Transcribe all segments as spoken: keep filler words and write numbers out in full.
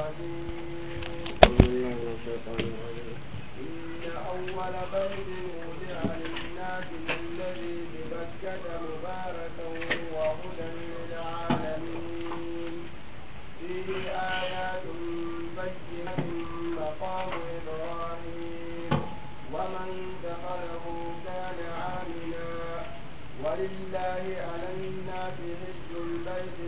الرحيم. أعوذ بالله من الشيطان الرجيم. إن أول بيت وضع للناس للذي ببكة مباركا وهدى للعالمين. فيه آيات بينات مقام إبراهيم ومن دخله كان آمنا ولله على الناس حج البيت،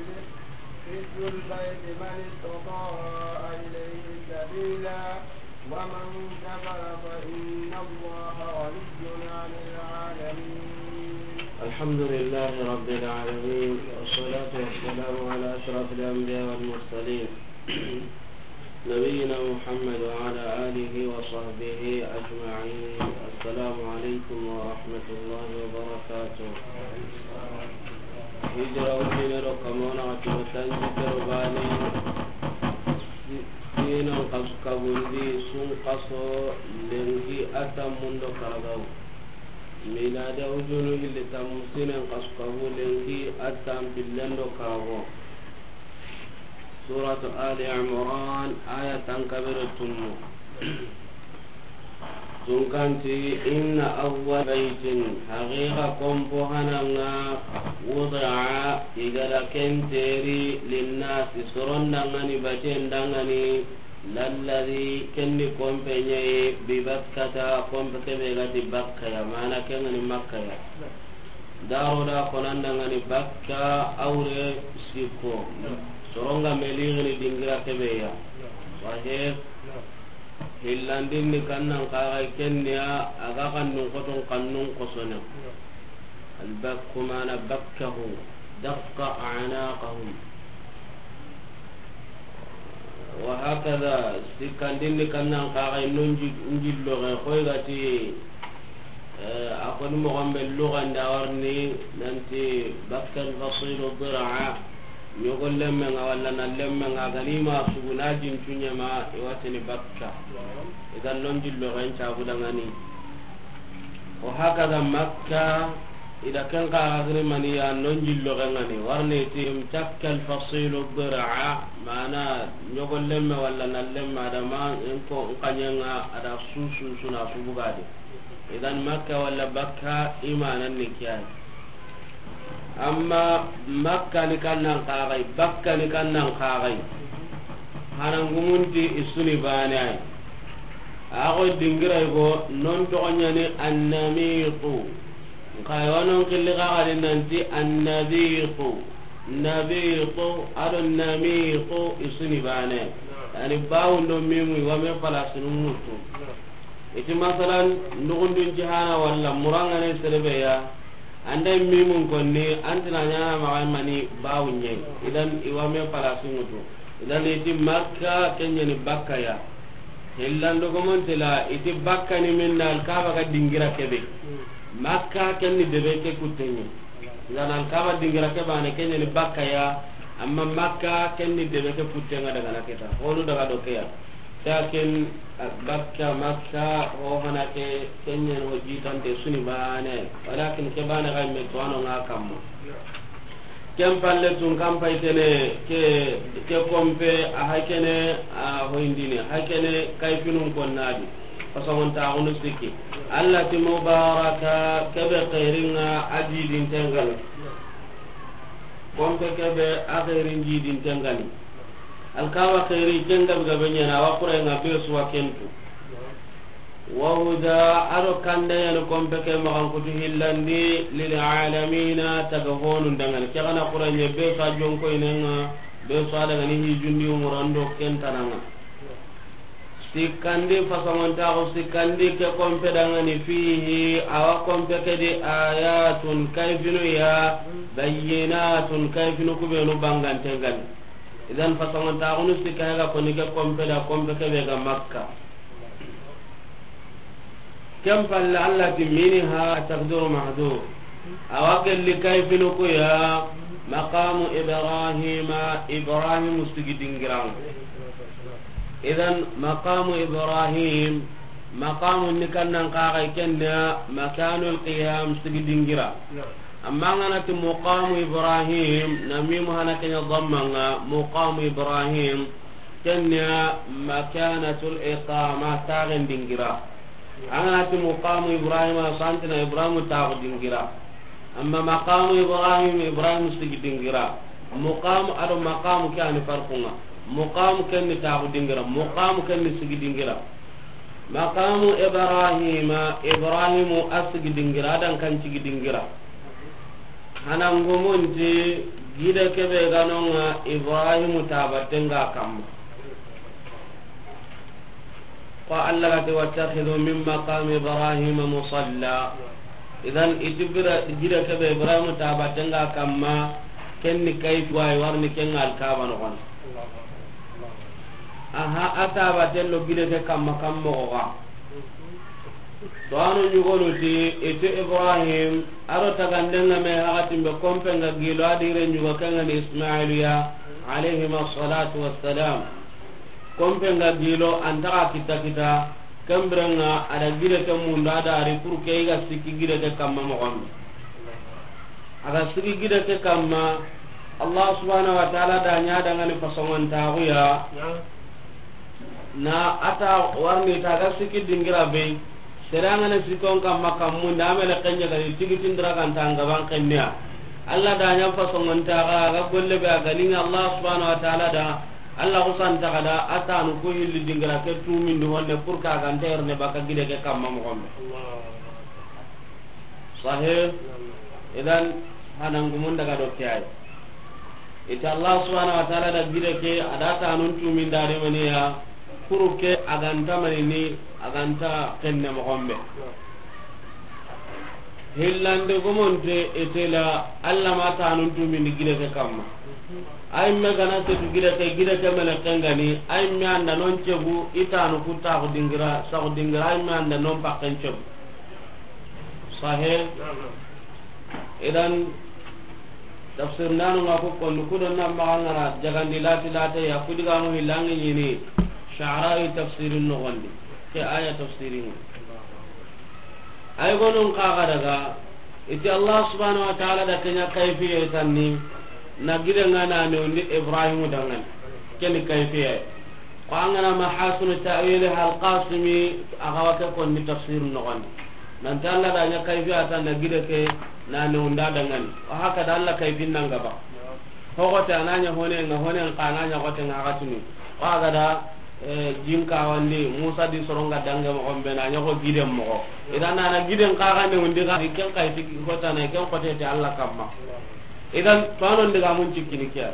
حج البيت من استطاع إليه سبيلا ومن كفر فإن الله غني عن العالمين. الحمد لله رب العالمين، والصلاة والسلام على أشرف الأنبياء والمرسلين، نبينا محمد وعلى آله وصحبه أجمعين. السلام عليكم ورحمة الله وبركاته. Hijira wujine do kamona wati watanji kero bane, si-, sinan kasu kabundi sun kaso lenki a tammun do karagaw. Miladi wujunu hilli tammu sinan kasu kabu lenki a tampillen do karago. Suratu Ali Imran, aya tankabere tunnu. Tunkanti, inna awwal baytin, haqiqa kompo hananga, wudi'a, i gada kenteri, linnasi, soron dangani, baten dangani, lalladhi, kendi kompe ɲayi, bi Bakkata, kompe kebe gati Bakka ya, mana kengani Makka ya. Daro da konandangani Bakka awre sikko. Soronga meligini dingira kebeya. Wahe hillandinni kannan kaga kenniya aga kannun koton kannun kosone. Albakku mana bakkahu dakka anaqahum. Wa hakada, sikkandinni kannan kaxay no njilloxe xoy gati, eh, a koni moxon be luxandi a warni nanti bakka alfasilu diraa, ɲogo lemmenga walla na lemmenga gani ma suguna jincu ɲama i watini bakka. Idan no njilloxen cabudangani. Wa hakada Makka, ida ken kaxa giri maniya no njilloxengani warni ti imtakka alfasilu diraa, mana ɲogo lemme walla na lemme adama nko nkaɲenga ada susu suna subugadi. Idan Makka walla bakka imanan ni kiyani. Amma Makka ni kannan kaxay, bakka ni kannan kaxay. Hanangumunti isuni bane ay. Axo dingiray go non toxoɲani annamiqu. Nka yonon killi kaxadi nanti annabiqu. Nabiqu ado namiqu isuni bane. Yani bawun do mimu iwame palasinu mutu. Iti masalan, ndugundun jihana walla murangane serebeya, anda mimun konni, antina ɲana maxa mani bawunye. Idan iwame palasi mutu. Idan iti Makka kenyani bakka ya. Hillan dogomontela, iti bakka ni minna alkaba ga dingira kebe. Makka kenni debe ke kuttenye. Idan alkaba dingira ke bane kenyani bakka ya, amma Makka kenni debe ke kuttenga daga na keta. Honu daga do ke ya. Lakin bakka Makka ho hana ke kenyen ho jitante suni bane. Walakin ke bane ga me to ano nga kamma. Ken palle tun kan pay kene ke, ke kompe a hay kene a hoyndini hay kene kay finun konnadi. Fasagon ta gunu sikki. Allah ti mubaraka kebe khairinga ajidin tengal. Kompe kebe a khairin jidin tengani. Alkawa khairi ken gabe gabe ɲana wa kurenga be suwa kentu. Wa huda aro kanda yani kompe ke maxan kutu hillandi lil alamina taga honun dangani. Ke gana kurenye be suwa jonko inenga be suwa dangani hijundi umurando kentananga. Sikkandi fasamantaxu sikkandi ke kompe dangani fihi awa kompe ke di ayatun kayfinu ya bayyinatun kayfinu kubenu bangante gani. Idan fasamantaxunu sikka hega koni ke kompe da kompe kebe ga Makka. Ken palle Allah ti minha taqdiru mahdhur. Awa gelli kayfinu kuya maqamu Ibrahima, Ibrahim sigi dingiranga. Idan maqamu Ibrahim, maqamu ni kannan kaga kenna makanul qiyam sigi dingira. Amma ngana ti muqamu Ibrahim, na mimu hana kenya dhammanga muqamu Ibrahim. Ken ya makanatul iqama, taxen dingira. An ga na ti muqamu Ibrahima, santina Ibrahim taxu dingira. Amma maqamu Ibrahim, Ibrahim sigi dingira. Muqamu ado maqamu ke ani farqunga. Muqamu ken ni taxu dingira, muqamu ken ni sigi dingira. Maqamu Ibrahima, Ibrahimu a sigi dingira, a dan kan sigi dingira. Hanangumunti gide kebe ganonga Ibrahimu tabatenga kamma. Ko Allah gati, "Wattakhidhu min maqami Ibrahima musalla." Idan, itibira gide kebe Ibrahimu tabatenga kamma, kenni kayfi wayi warni kenga Alkaba noxon. Aha, a tabaten lo gide ke kamma kamma oga. To ano ñugonu ti, iti Ibrahim, aro tagandenga me hakatimbe kompenga gilo a dire ñugo kengani Ismailu ya, alayhima salatu wassalam. Kompenga gilo antaga kita kita, kembirenga ada gide ke munda dari pour ke iga sikki gide ke kamma moxonde. Aga sigi gide ke kamma, Allah subhanahu wa ta'ala da ña dangani fasongon taxuya. Na ata warni taga siki dingira be. Serangana sikon kamma kammun da amele kenja gani tigi tindira kan tanga ban kenniya. Allah da ña fasongon taga ga golle be a ganinga Allah subhanahu wa ta'ala da. Allah kusan taga da atanu ku hilli dingira ke tumindi honne pour ka ganta erne baka gide ke kamma moxonde. Sahih. Idan, hanangumun daga do ke ay. Ita Allah subhanahu wa ta'ala da gide ke, ada tanun tumin da de maniya, kuru ke aganta manini, aganta kenne moxonbe. Hillande gomonte etela Allah ma tanun tumin di gide ke kamma. Ay me gana setu gide ke, gide ke mele kengani, ay me anda non cegu, itanu kutaxu dingira, saxu dingira, ay me anda non pakken cegu. Sahe. Idan, tafsir nanu nga ko kondu kudo na magangara jagandi lati lati ya kudiga mu hilangi ñini. Sha'rawi tafsirin noxondi. Ke aya tafsirin. Ay gonun kaga daga, iti Allah subhanahu wa ta'ala da kenya kayfiye tanni, na gide nga na ne undi Ibrahim dangan. Keni kayfiye. Ko an gana Mahasinu Ta'wili Al-Qasimi, a ga wa ke konni tafsir noxondi. Nanti Allah da ña kayfiyata na gide ke na ne unda dangani. Wa haka da Allah kayfin nan gaba. Hogote a na ña hone nga, hone nga a na ña hote nga gatuni. Wa ga da, eh, jinka wandi Musa di soronga dange moxonbe na ña ko gide moxo. Idan na na gide nga ga ne undi ga ken kayfi hota na ken hote te Allah kamma. Idan to anon diga mun cikkini kiya.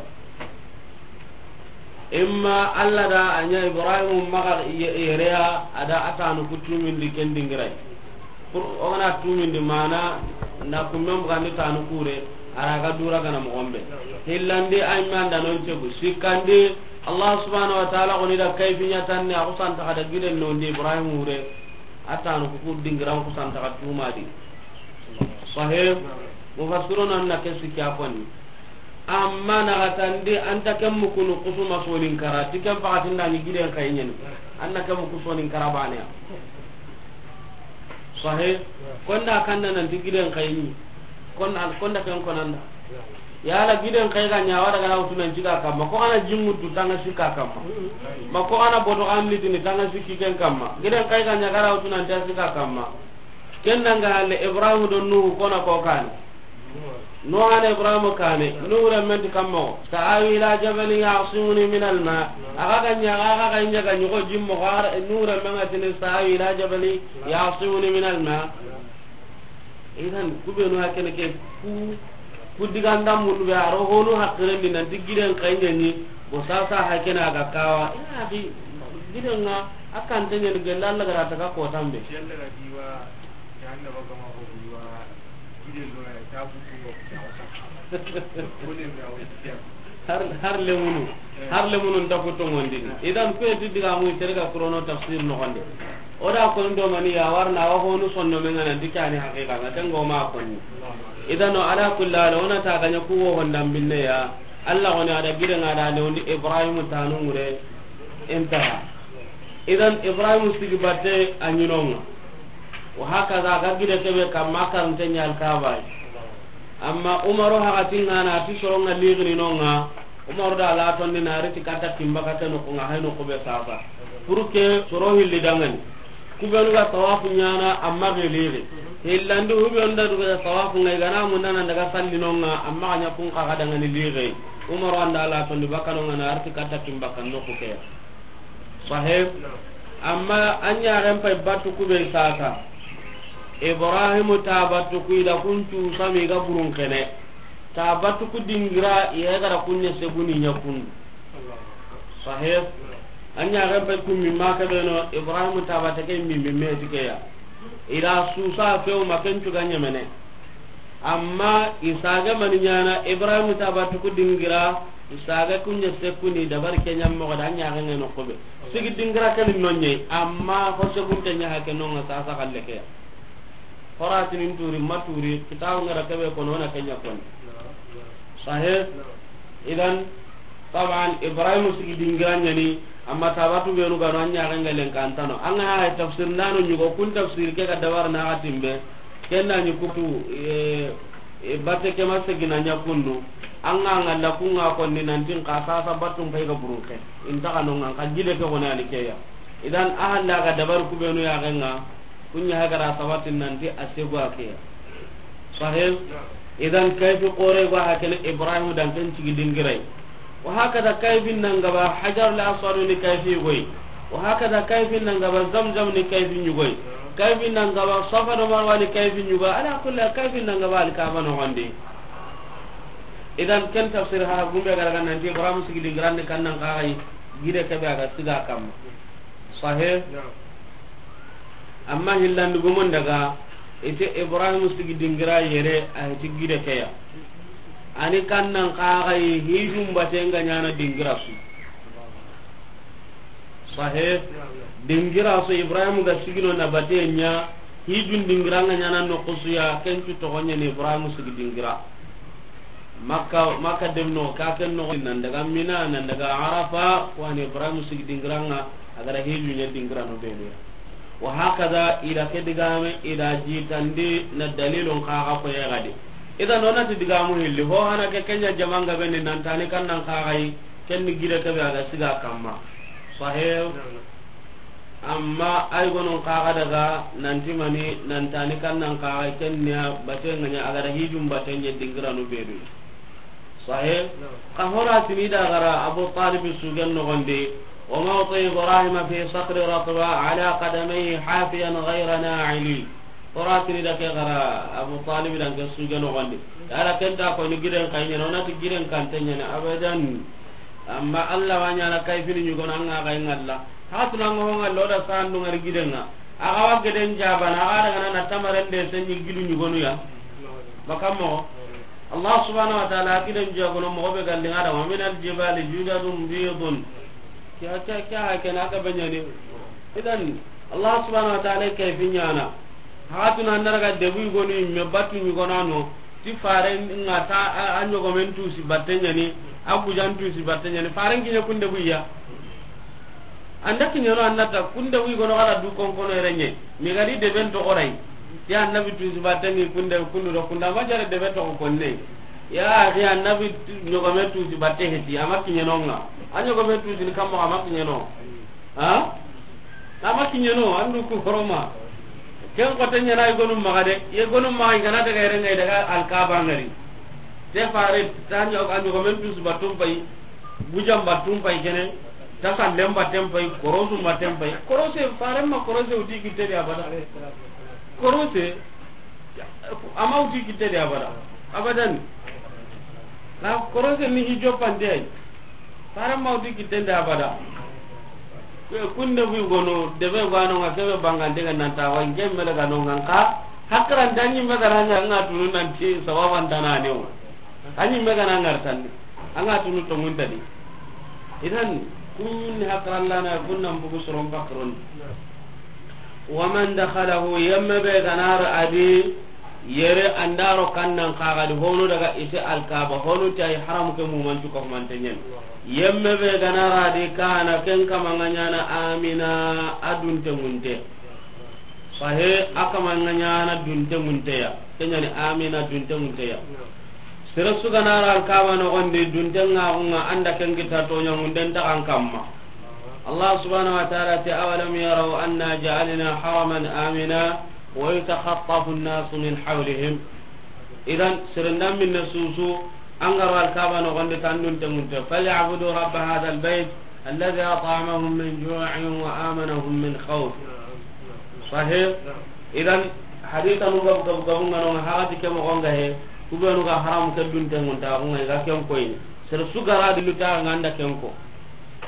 Imma Allah da a ña Ibrahim maga ye-, yereya, ada atanu ku tumindi ken dingiray. Pour o gana tumindi mana na kummen bugandi tanu kure, ara ga dura gana moxonbe. Hillandi ay manda non cegu. Sikkandi Allah subhanahu wa ta'ala goni da kayfinya tanni a kusanta kada giden nondi Ibrahim ure. Atanu ku dingiran kusanta ka tumadi. Sahih. Mufassiruna na ke sikya konni. Amma na gatandi anta ken mukunu kusuma sonin kara, ti ken pakatinda ni giden kayinyen. Anna ken muku sonin kara bane ya. Sahih. Konda kanda nan ti giden kayinyi. Konda, konda ken konanda. Yala giden kay ga ña wada gara wutu nan ciga kamma. Ko kana jingutu tanga sika kamma. Ma ko kana boto kan litini tanga siki ken kamma. Giden kay ga ña gara wutu nan ta sika kamma. Ken danga halle Ibrahim do Nuhu kona ko kane. Nuhu ana Ibrahim kane. Nuhu remmen ti kamma. Sa'awi ila jabalin ya'simuni min al-ma. Aga ga ña, aga ga ña ga ñugo jimmo. Nuhu remmen atini sa'awi ila jabalin ya'simuni min al-ma. Idan, ku be no hakene ke ku, ku diga ndam mundu be aro honu hakiren di nanti giden kayñani, bo sasa hakene aga kawa. Ya akhi, giden nga akan tanya ni gella Allah gara ta ka ko tambe. Yalla ga diwa, ya Allah ba gama ko diwa, giden lo ya ta ku ko ya wasa. Ko ne ya wasa. Har, har lemunu, har lemunu nta ku tongondini. Idan, ku eti diga mu tere ga kurono tafsir noxondi. O da koni do mani ya warna wa honu sonno men ngana dikani haqiqa nga tango ma konni. Idan, o ala kulli hal, ona ta ganya ku wo honda binne ya. Allah woni ada gide nga da ne undi Ibrahim tanu ngure. Intaha. Idan, Ibrahim sigi batte a ñinonga. Wa hakaza ga gide kebe kamma karante ñal kabay. Amma Umaru hakatinga na ti soronga ligini nonga. Umaru da la tondi na riti katta timba ka ke noxu ŋa, hay noxu be sasa. Pour que soro hilli dangani. Ku benu ga tawafu ɲaana, amma geliri. Hillandi hube onda du ga tawafu ŋa, i ga na munda nan daga salli no ŋa, amma ga ɲa kun xa ga dangani liri. Umaru an da la tondi bakka no ŋa na riti katta timba ka noxu ke. Sahih. Amma an ɲaxen pay battu ku be sasa. Ibrahimu ta battu ku i da kun cu sami ga burun kene. Ta battu ku dingira, i ga da kun ɲa seguni ɲa kundu. Sahih. An ɲaxen pay kun mi ma ke beno, Ibrahimu ta batte ke mi mi me ti ke ya. I da susa few ma ken cu ga ɲemene. Amma i saage mani ɲaana, Ibrahimu ta battu ku dingira, i saage kun ɲa sekuni dabari ke ɲa moxo da ɲaxen ŋa noxu be. Sigi dingira ke ni no ɲa, amma ho segunte ɲa hake no ŋa sasa xalle ke ya. Horatini n turi, ma turi, kitabu ŋa ra ke be kono, o na ke ɲa koni. Sahih. Idan, taban, Ibrahimu sigi dingira ɲa ni, amma ta battu benu ga no an ɲaxen ŋa lenkantano. An ga na tafsir ndano ɲugo, kun tafsir ke ga dabar na ga timbe. Ken da ɲi kutu, e, e, batte ke ma segina ɲa kundu. An ga ŋa la kun ŋa konni nanti n xa sasa battu n pay ga burun ke. Inta xa no ŋa n xa gide ke xo na ni ke ya. Idan, a halla ga dabar ku benu ya ga ŋa. Kun ɲa hagara sabatin nanti a segu a ke ya. Sahih. Idan kayfi xore go hakene Ibrahim dan ken sigi dingirai. Wa hakada kayfi nan ga ba Hajarul Aswad ni kayfi goy. Wa hakada kayfi nan ga ba Zamzam ni kayfi ɲugoy. Kayfi nan ga ba Safa do Marwa ni kayfi ɲugoy. Ala kulli kayfi nan ga ba Alkaaba no gonde. Idan ken tafsir ha gumbe ga ra ga nanti Ibrahim sigi dingiran ni kannan xaxay gide ke be a ga siga kamma. Sahih. Amma hillandi gumon daga, ite Ibrahim sigi dingira yere a hiti gide ke ya. Ani kannan xaxay hijun baten ga ɲaana dingira su. Sahih. Dingira su Ibrahim ga sigino na baten ɲa, hijun dingira nga ɲaana noxu su ya, ken cu toxo ɲa ni Ibrahim sigi dingira. Makka, Makka dem no, ka ken no, nan daga Mina, nan daga Arafa, ko ani Ibrahim sigi dingira nga, a ga ra hiju ɲa dingira no benu ya. Wa hakada, i da ke digame, i da jitandi na dalilun xaxa ko ya gadi. Idan o na ti digamu hilli, ho hana ke ken ɲa jamanga beni nan tani kannan xaxay, ken ni gide ke be a ga siga kamma. Sahih. Amma ay gonon xaxa daga nanti mani nan tani kannan xaxa ken ni ya baten ŋa ɲa a ga ra hijun baten ɲa dingira no benu. Sahih. Xa horatini da ga ra Abu Talib sugen no gonde. Wa mawti Ibrahim fi sakhri ratba ala qadamayhi hafiyan ghayra na'ili. Horatini da ke ga ra Abu Talib dan ke sugen no gonde. Yala ken ta ko ni giden kay ɲa no na ti giden kan te ɲa na abadan. Amma Allah wa ɲaana kayfini ɲugonu an ga ga ŋalla. Hatuna ngo ŋalla o da sandu ngari giden ŋa. A ga wa geden jabana, a ga daga na tamaren de senni gidu ɲugonu ya. Makamo. Allah subhanahu wa ta'ala giden jagono mo be galli ngada wa min al jibali judadun bidun. Kya, kya, kya ha ken a ga be ɲa ni. Idan Allah subhanahu wa ta'ala kayfi ɲaana. Hatuna ndaraga debu gonu me batu ɲugonu no. Ti faren ŋa ta a, a ɲogomen tusi batte ɲa ni, a gujan tusi batte ɲa ni, faren kiɲe kunde buya. Anda kiɲe no, anda ta kunde buyi gono kala du konkono yere ɲe. Mi gadi deben toxo ray. Ya annabi tusi batte ni kunde kundu do kunda ma jare debe toxo konne. Ya axi annabi tu-, ɲogome tusi batte heti, ama kiɲe no ŋa. A ɲogome tusi ni kammo ama kiɲe no. Ha? Ama kiɲe no, andu ku horoma. Ken xote ɲana i gonu maxa de, i gonu maxa i gana daga yere ŋa i daga Alkaaba ngari. Te fare, ta ɲo-, a ɲogomen tusi battun pay, gujan battun pay kene, ta sallen batten pay, korosu batten pay. Korose, fare ma korose uti kitte de abada. Korose, ama uti kitte de abada. Abadan. Na korose ni hijo pande ay. Fare ma uti kitte de abada. Ku-, kunde buyi gono, debe gano ŋa kebe bangande ga nanta wa nge mele ga no ŋa nka. Hakran da ɲi me ga na ŋa tunu nanti sawaban dana ne o. A ɲi me ga na ŋar tan. An ga tunu tongun tadi. Idan, kun ni hakarallana, kun nan bugu soron bakron. Wa man dakhalahu, yemme be ga na ri a di, yere an da ro kannan xaxa di, honu daga ise Alkaaba, honu ti ay haram ke mumancu ka humanten ɲa ni. Yemme be ga na ri a di, kana ken kama ŋa ɲana amina, a dunte ŋunte. Sahe, a kama ŋa ɲana dunte ŋunte ya. Ken ɲa ni amina dunte ŋunte ya. Sere su ga na ri Alkaaba noxon di, dunten ŋa xun ŋa, an da ken kita toɲaŋunden taxan kamma. Allah subhanahu wa ta'ala ti, "Awalam yaraw anna ja'alna haraman amina wa yatakhatafu an-nasu min hawlihim." Idan, sere nda minne su su, an ga ro Alkaaba noxon di, tan dunten ŋunte. "Falyabudu rabba hadha al-bayt alladhi at'amahum min ju'in wa amanahum min khawf." Sahih. Idan, hadisa nu gabu gabu gabu ŋa no ŋa, hagati ke moxo ŋa he, ku be nu ga haramu ke dunten ŋunta xun ŋa, i ga ken koyini. Sere su ga ra di lu ta ŋa, an da ken ko.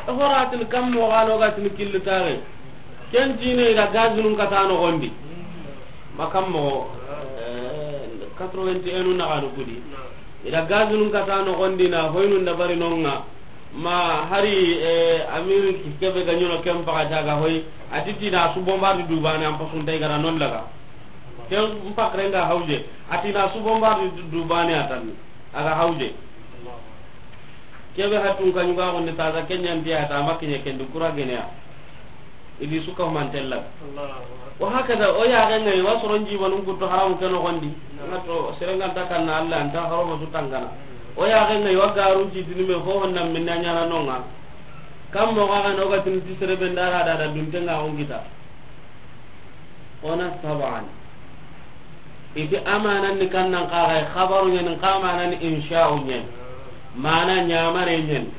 E, horatin kam moxo ga no ga tin killu tare. Ken tine i da gazinun kata noxon di. Ma kam moxo, eh, quatre-vingt-un na ga no kudi. I da gazinun kata noxon di na hoynun da bari no ŋa. Ma hari, eh, Amérique kebe ga ɲono ken paxati a ga hoy, a ti ti na su bombardi du baane, an pasunta i ga ra non laga. Ken pakren ga hawje, a ti na su bombardi du baane a tanni, a ga hawje. Kebe hatun ka ɲuga gonde taza ken ɲanti a ta ma kiɲe ken di kura gene ya. I di su ka humantella. Allahu akbar. Wa hakaza, o ya ga ŋa i wa soron jibanun kuttu haramu ke noxon di. Naam. Ŋa to, sere nga nta kanna Allah, an ta horomo su tangana. O ya ga ŋa i wa garun ci tini me ho honna minna ɲaana no ŋa. Kam moxo ga no ga tin ti sere be nda ra da da dunten ŋa xun kita. O na saban. I ti amanan ni kannan kaxay, xabaru ɲani, xa manan ni insha'u ɲani. Mana ɲamare ɲani.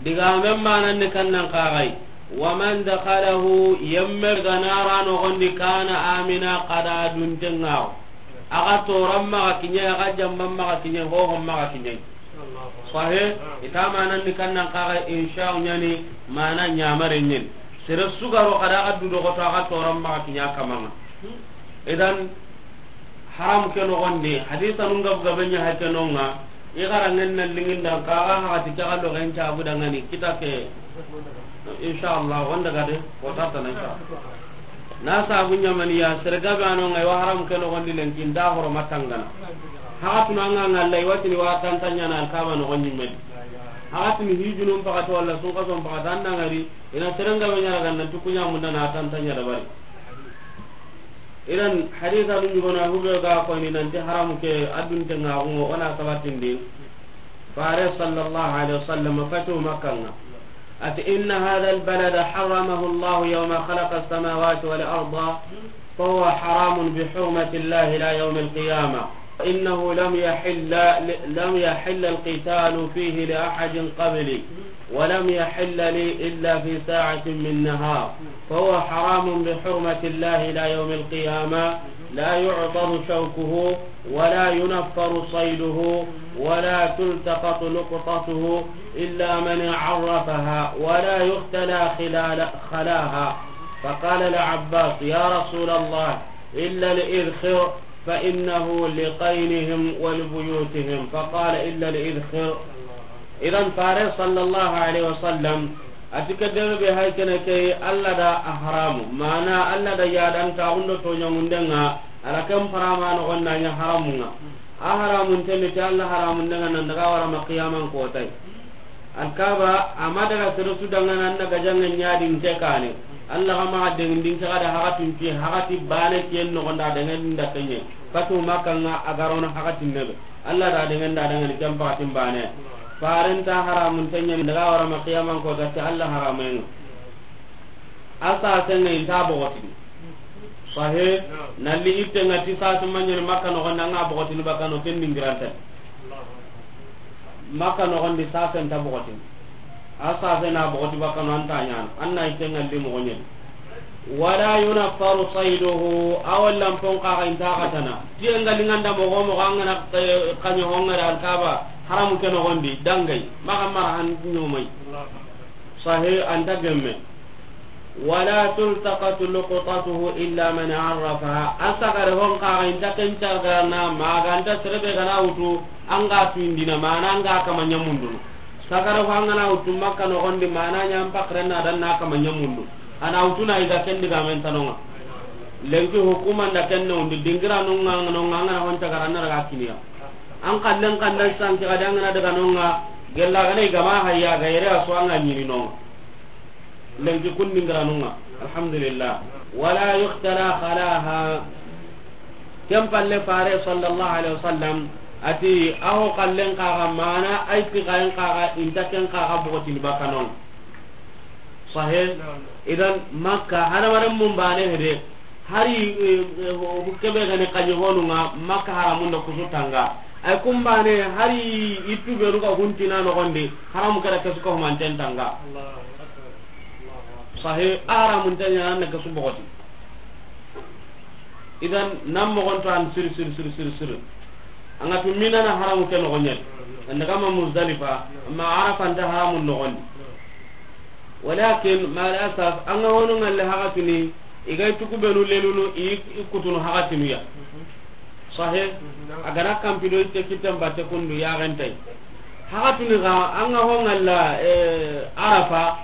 Digamen manan ni kannan kaxay. Wa man dakhalahu, yemme ga na ra noxon di, kana amina, xa da dunten ŋa xo. A ga toran maxa kiɲe, a ga jamban maxa kiɲe, hohon maxa kiɲe. Sahih, i ta manan ni kannan kaxay, insha'u ɲani, mana ɲamare ɲani. Sere su ga ro xa da ga du doxoto, a ga toran maxa kiɲe a kaman ŋa. Idan, haram ke noxon di, hadisa nun gabu gabe ɲa hake no ŋa, i ga ra ŋen na lingin da, xa ga hagati ke ga lo gen cabu da ŋa ni, kita ke, inshallah, wanda ga de, ko ta ta na inshallah. Na sabu ɲa mani ya, sere gabe a no ŋa, i wa haram ke noxon di lenki, nda horo ma tangana. Hagatunu an ga ŋa Allah, i wa tini wa tanta ɲaana Alkaaba noxon ɲi me di. Hagatunu hijunun paxati walla sunkason paxati, an na ŋa ri, i na sere gabe ɲa ra ga nan tu ku ɲa munda na tanta ɲa da bari. Idan hadisa dun ɲugona hube ga koyni nanti haramu ke a dunten ŋa xun ŋa, o na sabatindi. Fare sallallahu alaihi wasallam fatu Makka ŋa. Ati, "Inna hadha al-balada harramahu Allahu yawma khalaqa as-samawati wal arda, fa huwa haramun bi hurmati Allahi ila yawmi al-qiyamah. Innahu lam yahilla li, lam yahilla al-qitalu fihi li ahadin qabli." ولم يحل لي إلا في ساعة من نهار، فهو حرام بحرمة الله إلى يوم القيامة، لا يعضد شوكه، ولا ينفر صيده، ولا تلتقط لقطته إلا من عرفها، ولا يختلى خلال، خلاها. فقال العباس: يا رسول الله، إلا الإذخر، فإنه لقينهم ولبيوتهم، فقال: إلا الإذخر. Idan fare sallallahu alaihi wasallam ati ke debe be hay kene ke Allah da a haramu. Mana Allah da ya dan ta undo to ɲamunden ŋa, ala kan parama no gonna ɲa haramun ŋa. A haramun teme ti Allah haramunden ŋa nan daga wara ma qiyaman kotay. Alkaba, a ma daga sere su dangana an na gajanŋe ɲa di nke kane. Allah ga maxa dengindin ke ga da hagatin ke, hagati bane kiyen noxon da dangandin da kenye. Fatu Makka ŋa a ga ro na hagatin nebe. Allah da dangan da dangani ken pakatin bane. Faren ta haramun tenye daga wara ma qiyaman kota ti Allah haramen ŋa. A sasen ŋa i nta bogotini. Sahe, nalli itte ŋa ti sasu maɲani Makka noxon da ŋa bogotini bakano ken dingiranta. Makka noxon di sasen ta bogotini. A sasen na bogoti bakano an ta ɲana. An na itte ŋa li moxo ɲeni. Wala yunaffaru sayduhu, a wallan pon kaxa i nta xatana. Tiye ŋa li ŋa nda moxo moxo an ga na, eh, kaɲo ho ŋa da Alkaba, haramu ke noxon di, dangay. Maxa mara han ɲomay. Sahe, an ta gemme. Wala tultaqatu luqtatuhu illa man arrafaha. A sagare hon kaxa i nta ken cargarana, ma ga nta sere be ga na wutu, an ga tuyindina, mana an ga kama ɲamundunu. Sagare ho an ga na wutu Makka noxon di, mana ɲa an pakren na dan na kama ɲamundu. A na wutu na i ga ken digamen tano ŋa. Lenki hukuma nda ken no ndi dingira no ŋa no ŋa an ga na hon cagara na daga kiniya. An kallen kallen sanki ga dangana daga no ŋa, gella ga na i ga ma hayya ga yere a su an ga ɲini no ŋa. Lenki kun dingiranun ŋa. Alhamdulillah. Wala yuhtala khalaha. Ken palle fare sallallahu alaihi wasallam A ti, a ho kallen kaxa, mana a yi ti kayen kaxa, i nta ken kaxa bogotini bakka non. Sahe? Idan, Makka, hadamaren mun bane hede, hari, eh, eh, ho-, kebe gani kañi honunga, Makka haramun da kusu tanga. Ay kumbane, hari i tubenu ga huntina nogondi, haramu kada kesu ka humanten tanga. Sahe, a haramun tanya nan kesu bogoti. Idan, nan mogonto an sir, sir, sir, sir, sir. An ga tu Mina na haramu ke nogondi. An daga ma Muzdalifa, amma Arafa nta haramu nogondi. Walakin, mal asaf, an ga hono ngalle hagatuni, i ga tuku benu lelunu, i, i kutunu hagatunu ya. Sahe, a ga na kampido itte kitten batte kundu ya gentay. Hagatuni ga, an ga ho ngalla, eh, Arafa,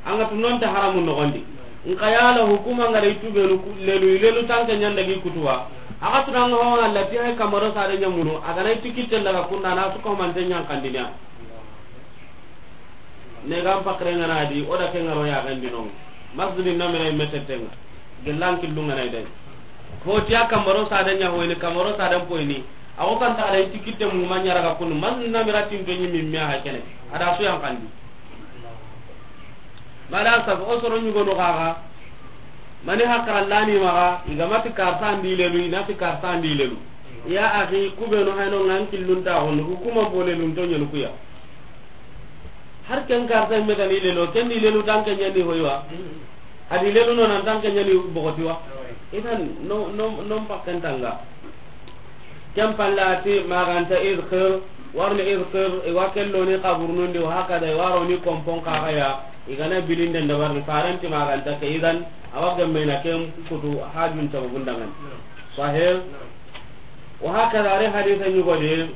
an ga tu non ta haramu nogondi. Nka yala hukuma ngara i tubenu ku-, lelu, lelu tanke ñanda gi kutuwa. A ga tu nanga ho ngalla ti hay kamaro sare ñamunu, a ga na i ti kitten daga kunda na su ko mante ñan kandiniya. Ne gam pakre ngana di, o da ke ngaro ya gandi non. Masjidin namira i metetenga. Gellan killu ngana i day. Ho tiya kamaro sare ña hoyni, kamaro sare poyni. A ko kan ta da i ti kitte mu ma ñara ga kunu. Masjidin namira tin to ñi mi mi ha kene. A da su yan kandi. Mala sa o soro ñugo no gaga. Mani hakara lani maga, i ga ma ti karsa ndi lelu, i na ti karsa ndi lelu. Ya akhi, kubenu hayno ngan killun ta hon, hukuma bo lelun to ñanu kuya. Har ken karsa me ga ni lelu, ken ni lelu tanke ñani hoywa. A di lelu no nan tanke ñani bogotiwa. Idan, no, no, no pakkan tanga. Ken palla a ti maganta idkhir, warni idkhir, i wa kello ni kaburnundi, wa hakada, i waro ni kompon kaxaya, i gana bilinden dabarni, farenti maganta ke, idan, a wa gemmena ken kutu hajun sababun dangan. Sahih? Wa hakada, ari hadisa ñugodi,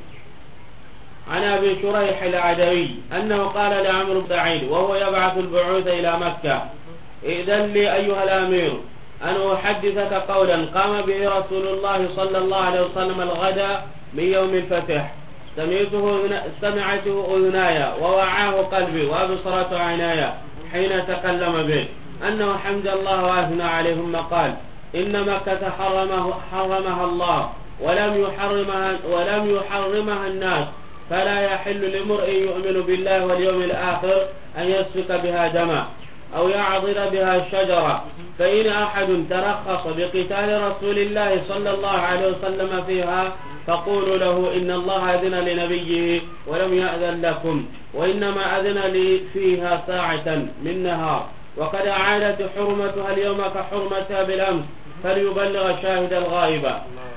عن أبي شريح العدوي أنه قال لعمرو بن سعيد وهو يبعث البعوث إلى مكة: ائذن لي أيها الأمير أن أحدثك قولا قام به رسول الله صلى الله عليه وسلم الغداة من يوم الفتح، سمعته أذن-، سمعته أذناي ووعاه قلبي وأبصرت عيناي حين تكلم به، أنه حمد الله وأثنى عليه، ثم قال: إن مكة حرمه-، حرمها الله ولم يحرمها، ولم يحرمها الناس، فلا يحل لامرئ يؤمن بالله واليوم الآخر أن يسفك بها دما أو يعضد بها شجرة، فإن أحد ترخص بقتال رسول الله صلى الله عليه وسلم فيها فقولوا له إن الله أذن لنبيه ولم يأذن لكم، وإنما أذن لي فيها ساعة من نهار، وقد عادت حرمتها اليوم كحرمتها بالأمس، فليبلغ الشاهد الغائب.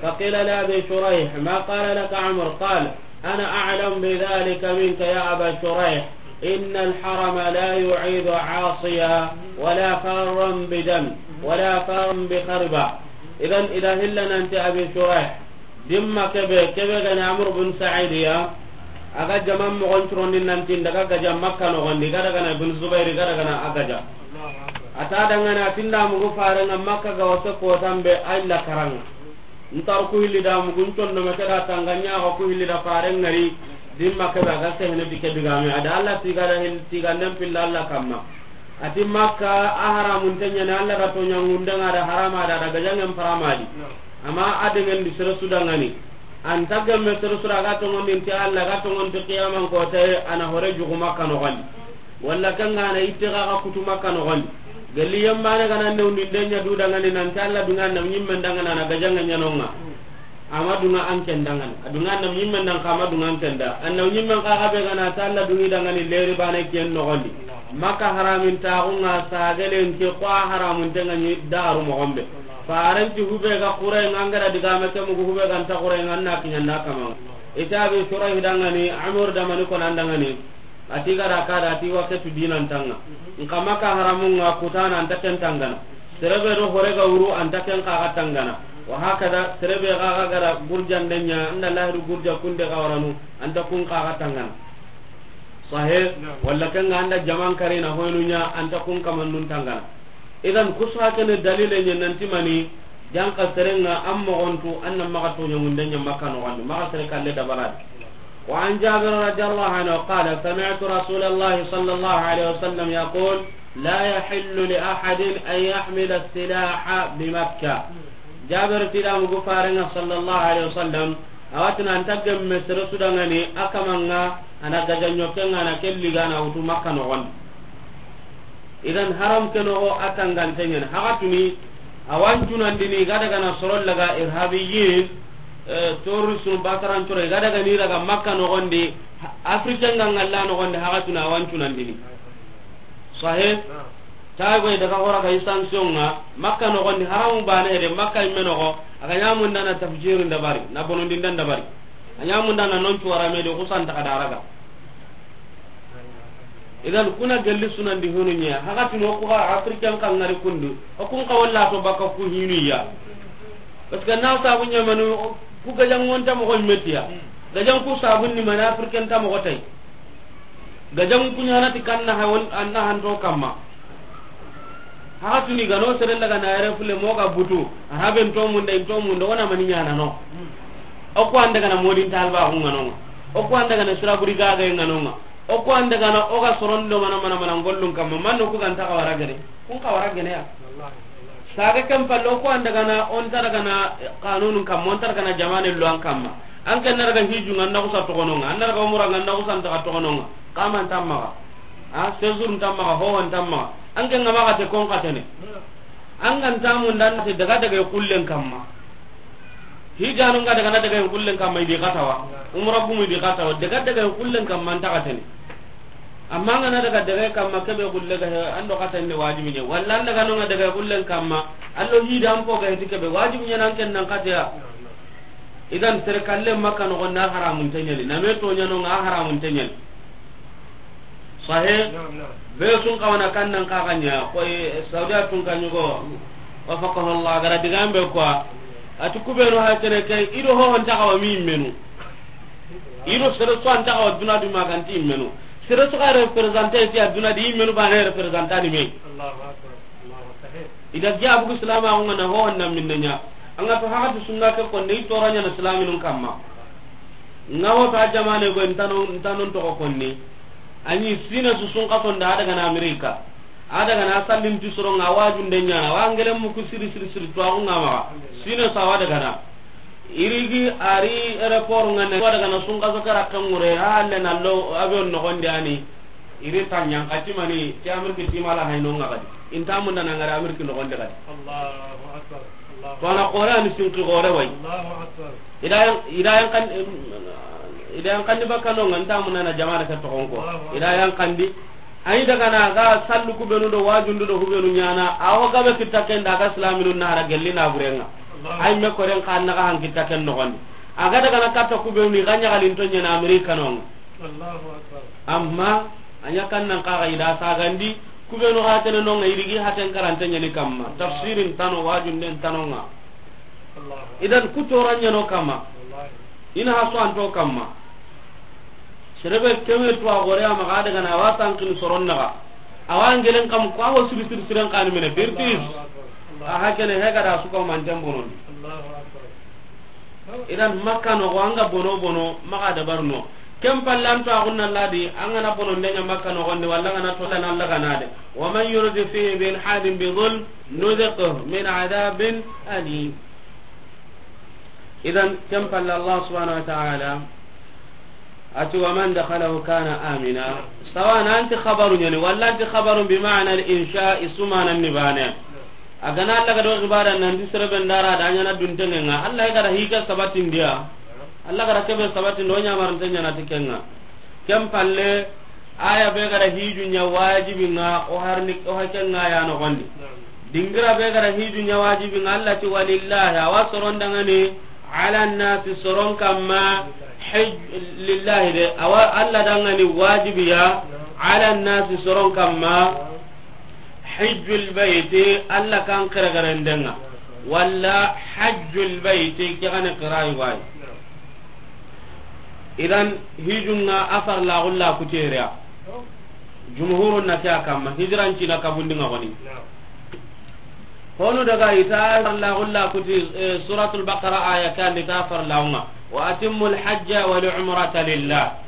فقيل لأبي شريح: ما قال لك عمرو؟ قال: أنا أعلم بذلك منك يا أبا شريح، إن الحرم لا يعيذ عاصيا ولا فارا بدم ولا فارا بخربة. إذن إذا هلنا أنت أبي شريح، Dimma kebe, kebe gani Amr bin Sa'id ya, a ga jaman mogon curondi nanti, n daga gaja Makka nogondi, ga daga na Ibn Zubair, ga daga na a gaja. A ta dangana, a ti n da mugu farenga Makka ga wase kotan be, a illa karanga. N tar ku hilli da mugu, n condo me ke da tanga, n ñaxo ku hilli da farengari, dimma kebe a ga sehene di ke digame, a da Allah tiga da hil-, tiga nden pilla Allah kamma. A ti Makka a haramun tenyana, Allah ga toña ngundanga da harama da, da gajangen paramadi. Amma a dengan di sere su dangani. An ta gemme sere su da ga tongondi nti Allah, ga tongondi qiyaman kote, a na hore jugu Makka nogondi. Walla kanga na itte ga ga kutu Makka nogondi. Gelli yambane ga na newndi ndenya du dangani nanti Allah dunga na ñimmen dangana na gajangen ñanonga. Ama dunga an ken dangani. A dunga na ñimmen dan kama dunga an ken da. An na ñimmen ka ga be ga na ta Allah dungi dangani leri bane ken nogondi. Makka haramin taxunga sagelen ke ko a haramun tenga ni daru moxon be. Farenti hube ga xure nga, an ga da digame ke mugu hube ga nta xure nga, an na kiñanda kama. Ita be sura hidangani, Amr da mani ko nan dangani. A ti ga da ka da, a ti wa ke tu dinan tanga. Nka Makka haramun nga kutana an ta ken tangana. Serebe do hore ga wuru an ta ken ka ga tangana. Wa hakada serebe ga ga ga da gurjan denya, an da lahiru gurja kunde ga waranu, an ta kun ka ga tangana. Sahe, walla kanga an da jaman karina hoynu ña, an ta kun kamannun tangana. Idan kusu hakene dalile ñe nanti mani, janka serenga an mogontu, an na maxa toña munde ña Makka nogondi, maxa sere kalle dabaradi. وعن جابر رضي الله عنه قال: سمعت رسول الله صلى الله عليه وسلم يقول: لا يحل لأحد أن يحمل السلاح بمكة. Jabir ti da mugu farenga sallallahu alaihi wasallam, A wa tini an ta gemme sere su dangani, a kaman ŋa, a na gaja ɲoke ŋa, a na ke liga na wutu Makka noxon di. Idan haram ke noxo a tangante ɲani. Haxatuni, a wa n cunandini, i ga daga na soro laga irhabiyin, eh, terroriste nu, basarancoro, i ga daga ni raga Makka noxon di, Afrique ŋa ŋalla noxon di, haxatuni a wa n cunandini. Sahih? Tayi goy daga xora ga i sanction ŋa, Makka noxon di haramu bane hede, Makka imme noxo, a ga ɲamundana tafjirin dabari, na bonondindan dabari. A ɲamundana non cuwara me de, xusan taxa daraga. Idan kuna gelli sunandi honu ɲa, haxatuni o ku ga Africain kan ŋari kundu, o kun xa walla to baka ku hinu ya. Parce que na sabu ɲamanu ku gajangon ta moxo metiya. Gajan ku sabun ni mana Africain ta moxo tay. Gajan ku ɲana ti kanna hawon anna hanto kamma. Haxatuni gano sere laga na yere fule mo ga butu, araben to munde, in to munde, wona mani ɲana no. O ko ande gana modin talba ku ŋanonga. O ko ande gana siraburi gaga ŋanonga. O ko ande gana o ga sorondo mana mana mana ngollun kamma, manno ku ganta ka wara gene. Kun ka wara gene ya. Saga ken palle o ko ande gana, on tara gana kanunun kamma, on tara gana jamane lo an kamma. An ken na daga hiju ŋa na kusa toxononga, an na daga umura ŋa na kusa ntaxa toxononga. Kaman tammaxa. A, séjour ntammaxa, hoho ntammaxa. An ke ŋa maxa te kon xatene. An ga ntamu ndan te daga daga kullen kamma. Hijanu nga daga na daga kullen kamma idi xatawa. Umra gumu idi xatawa. Daga daga kullen kamma nta xatene. Amma nga na daga daga kamma kebe kulle ga he, ando xatene wajibi ne. Walla an daga no nga daga kullen kamma. Allo hida an po ga he ti kebe wajibi ne nan ken nan xateya. Idan sere kalle Makka noxon di a haramun teɲani, na me to ɲano nga a haramun teɲani. Sahe. Naam, naam. Be sun kawana kannan ka ganya ko, eh, Saudiya tun kan yugo. Wafaqahu Allah, gara digambe ko. Ati kubenu ha tere ke, ido ho on taxawa mi menu. Ido sere so an taxawa duna di maganti menu. Sere so ka representer ti aduna di menu ba ne representer ni me. Allahu akbar. Allahu akbar. Ida giya bugu silamaxu nga na ho wanda minne ɲa. An ga to haxati sunna ke konni, i toraɲana silaminun kamma. Nga ho ta jamane go ntano, ntanon toxo konni. Ani sine su sun kaso nda a daga na Amerika. A daga na sallin ti soro nga wajunde ɲana. Wa ngele muku siri siri siri to axu nga maxa. Sine sa wa daga na. Irigi ari aéroport nga ne wa daga na sun kaso kara kangure. A halle na lo avion noxon di ani. Iri ta ɲan kati mani ti Ameriki ti mala hayno nga kadi. Inta munda na ngara Ameriki noxon de kadi. Allahu akbar. Allahu akbar. To na xore ani sinki xore way. Allahu akbar. Ida yan, ida yan kan, ida yan kan di bakka no nga nta munda na jama'a ka toxon ko. Allahu akbar. Ida yan kan di. Ay daga na ga sallu ku benu do wajundu do hubenu ɲana. Awo gabe kitta ken daga silaminu na hara gelli na burenga. Allahu akbar. Ay me koren kan na ga han kitta ken noxon di. Aga daga na katta ku benu ni ga ɲagalin to ɲana Amerika no. Allahu akbar. Amma a ɲa kan nan kaga ida sagandi, kubenu ga tene no nga irigi haten karante ɲani kamma. Tafsirin tano, wajunden tano nga. Allahu akbar. Idan ku toran ɲano kamma. Wallahi. Ina haso anto kamma. Serebe keme to a gore ama ga daga na wa tankin soron naga. Awa ngelen kam ko awo siri siri siren kan mene birtis. Allahu akbar. Allahu akbar. A hakene he ga da su ko man tembonon. Allahu akbar. Idan Makka noxo, an ga bono bono, maxa dabarno. Ken palle an to axunna ladi, an ga na bono ndeɲa Makka noxon di, walla an ga na to lana Alla ga na de. Wa man yurid fihi bi ilhadin bi zulm, nuziqhu min adabin alim. Idan ken palle Allah subhanahu wa ta'ala, ati, "Wa man dakhalahu kana amina." Sawa na anti xabaru ɲani, walla anti xabaru bi ma'na al-insha, i su manan ni bane. A ga na Alla ga do xibara nan di serebe ndara da ɲana duntengen nga. Alla ga da hika sabatin diya. Alla ga da kebe sabatin do ɲamarante ɲana ti ken nga. Ken palle, aya be ga da hiju ɲa wajibi nga, o harni, o haken nga ya noxon di. Dingira be ga da hiju ɲa wajibi nga, Alla ti, "Walillahi", awa soron dangani, "ala nasi", soron kamma, hij-, lillahi de, awa Alla dangani wajibiya, "ala nasi", soron kamma, "hijjul bayti", Alla kan xeregerendenga, walla "hajjul bayti", ke gane xirai way. Idan hijunga a farlaxulla kutereya. Jumhurun na ke a kamma, hijiran cina kabundi nga goni. Honu daga ita farlaxulla kuti, eh, Suratul Baqara aya kan di ta farlaxunga. "Wa atimmul hajja wal umrata lillah."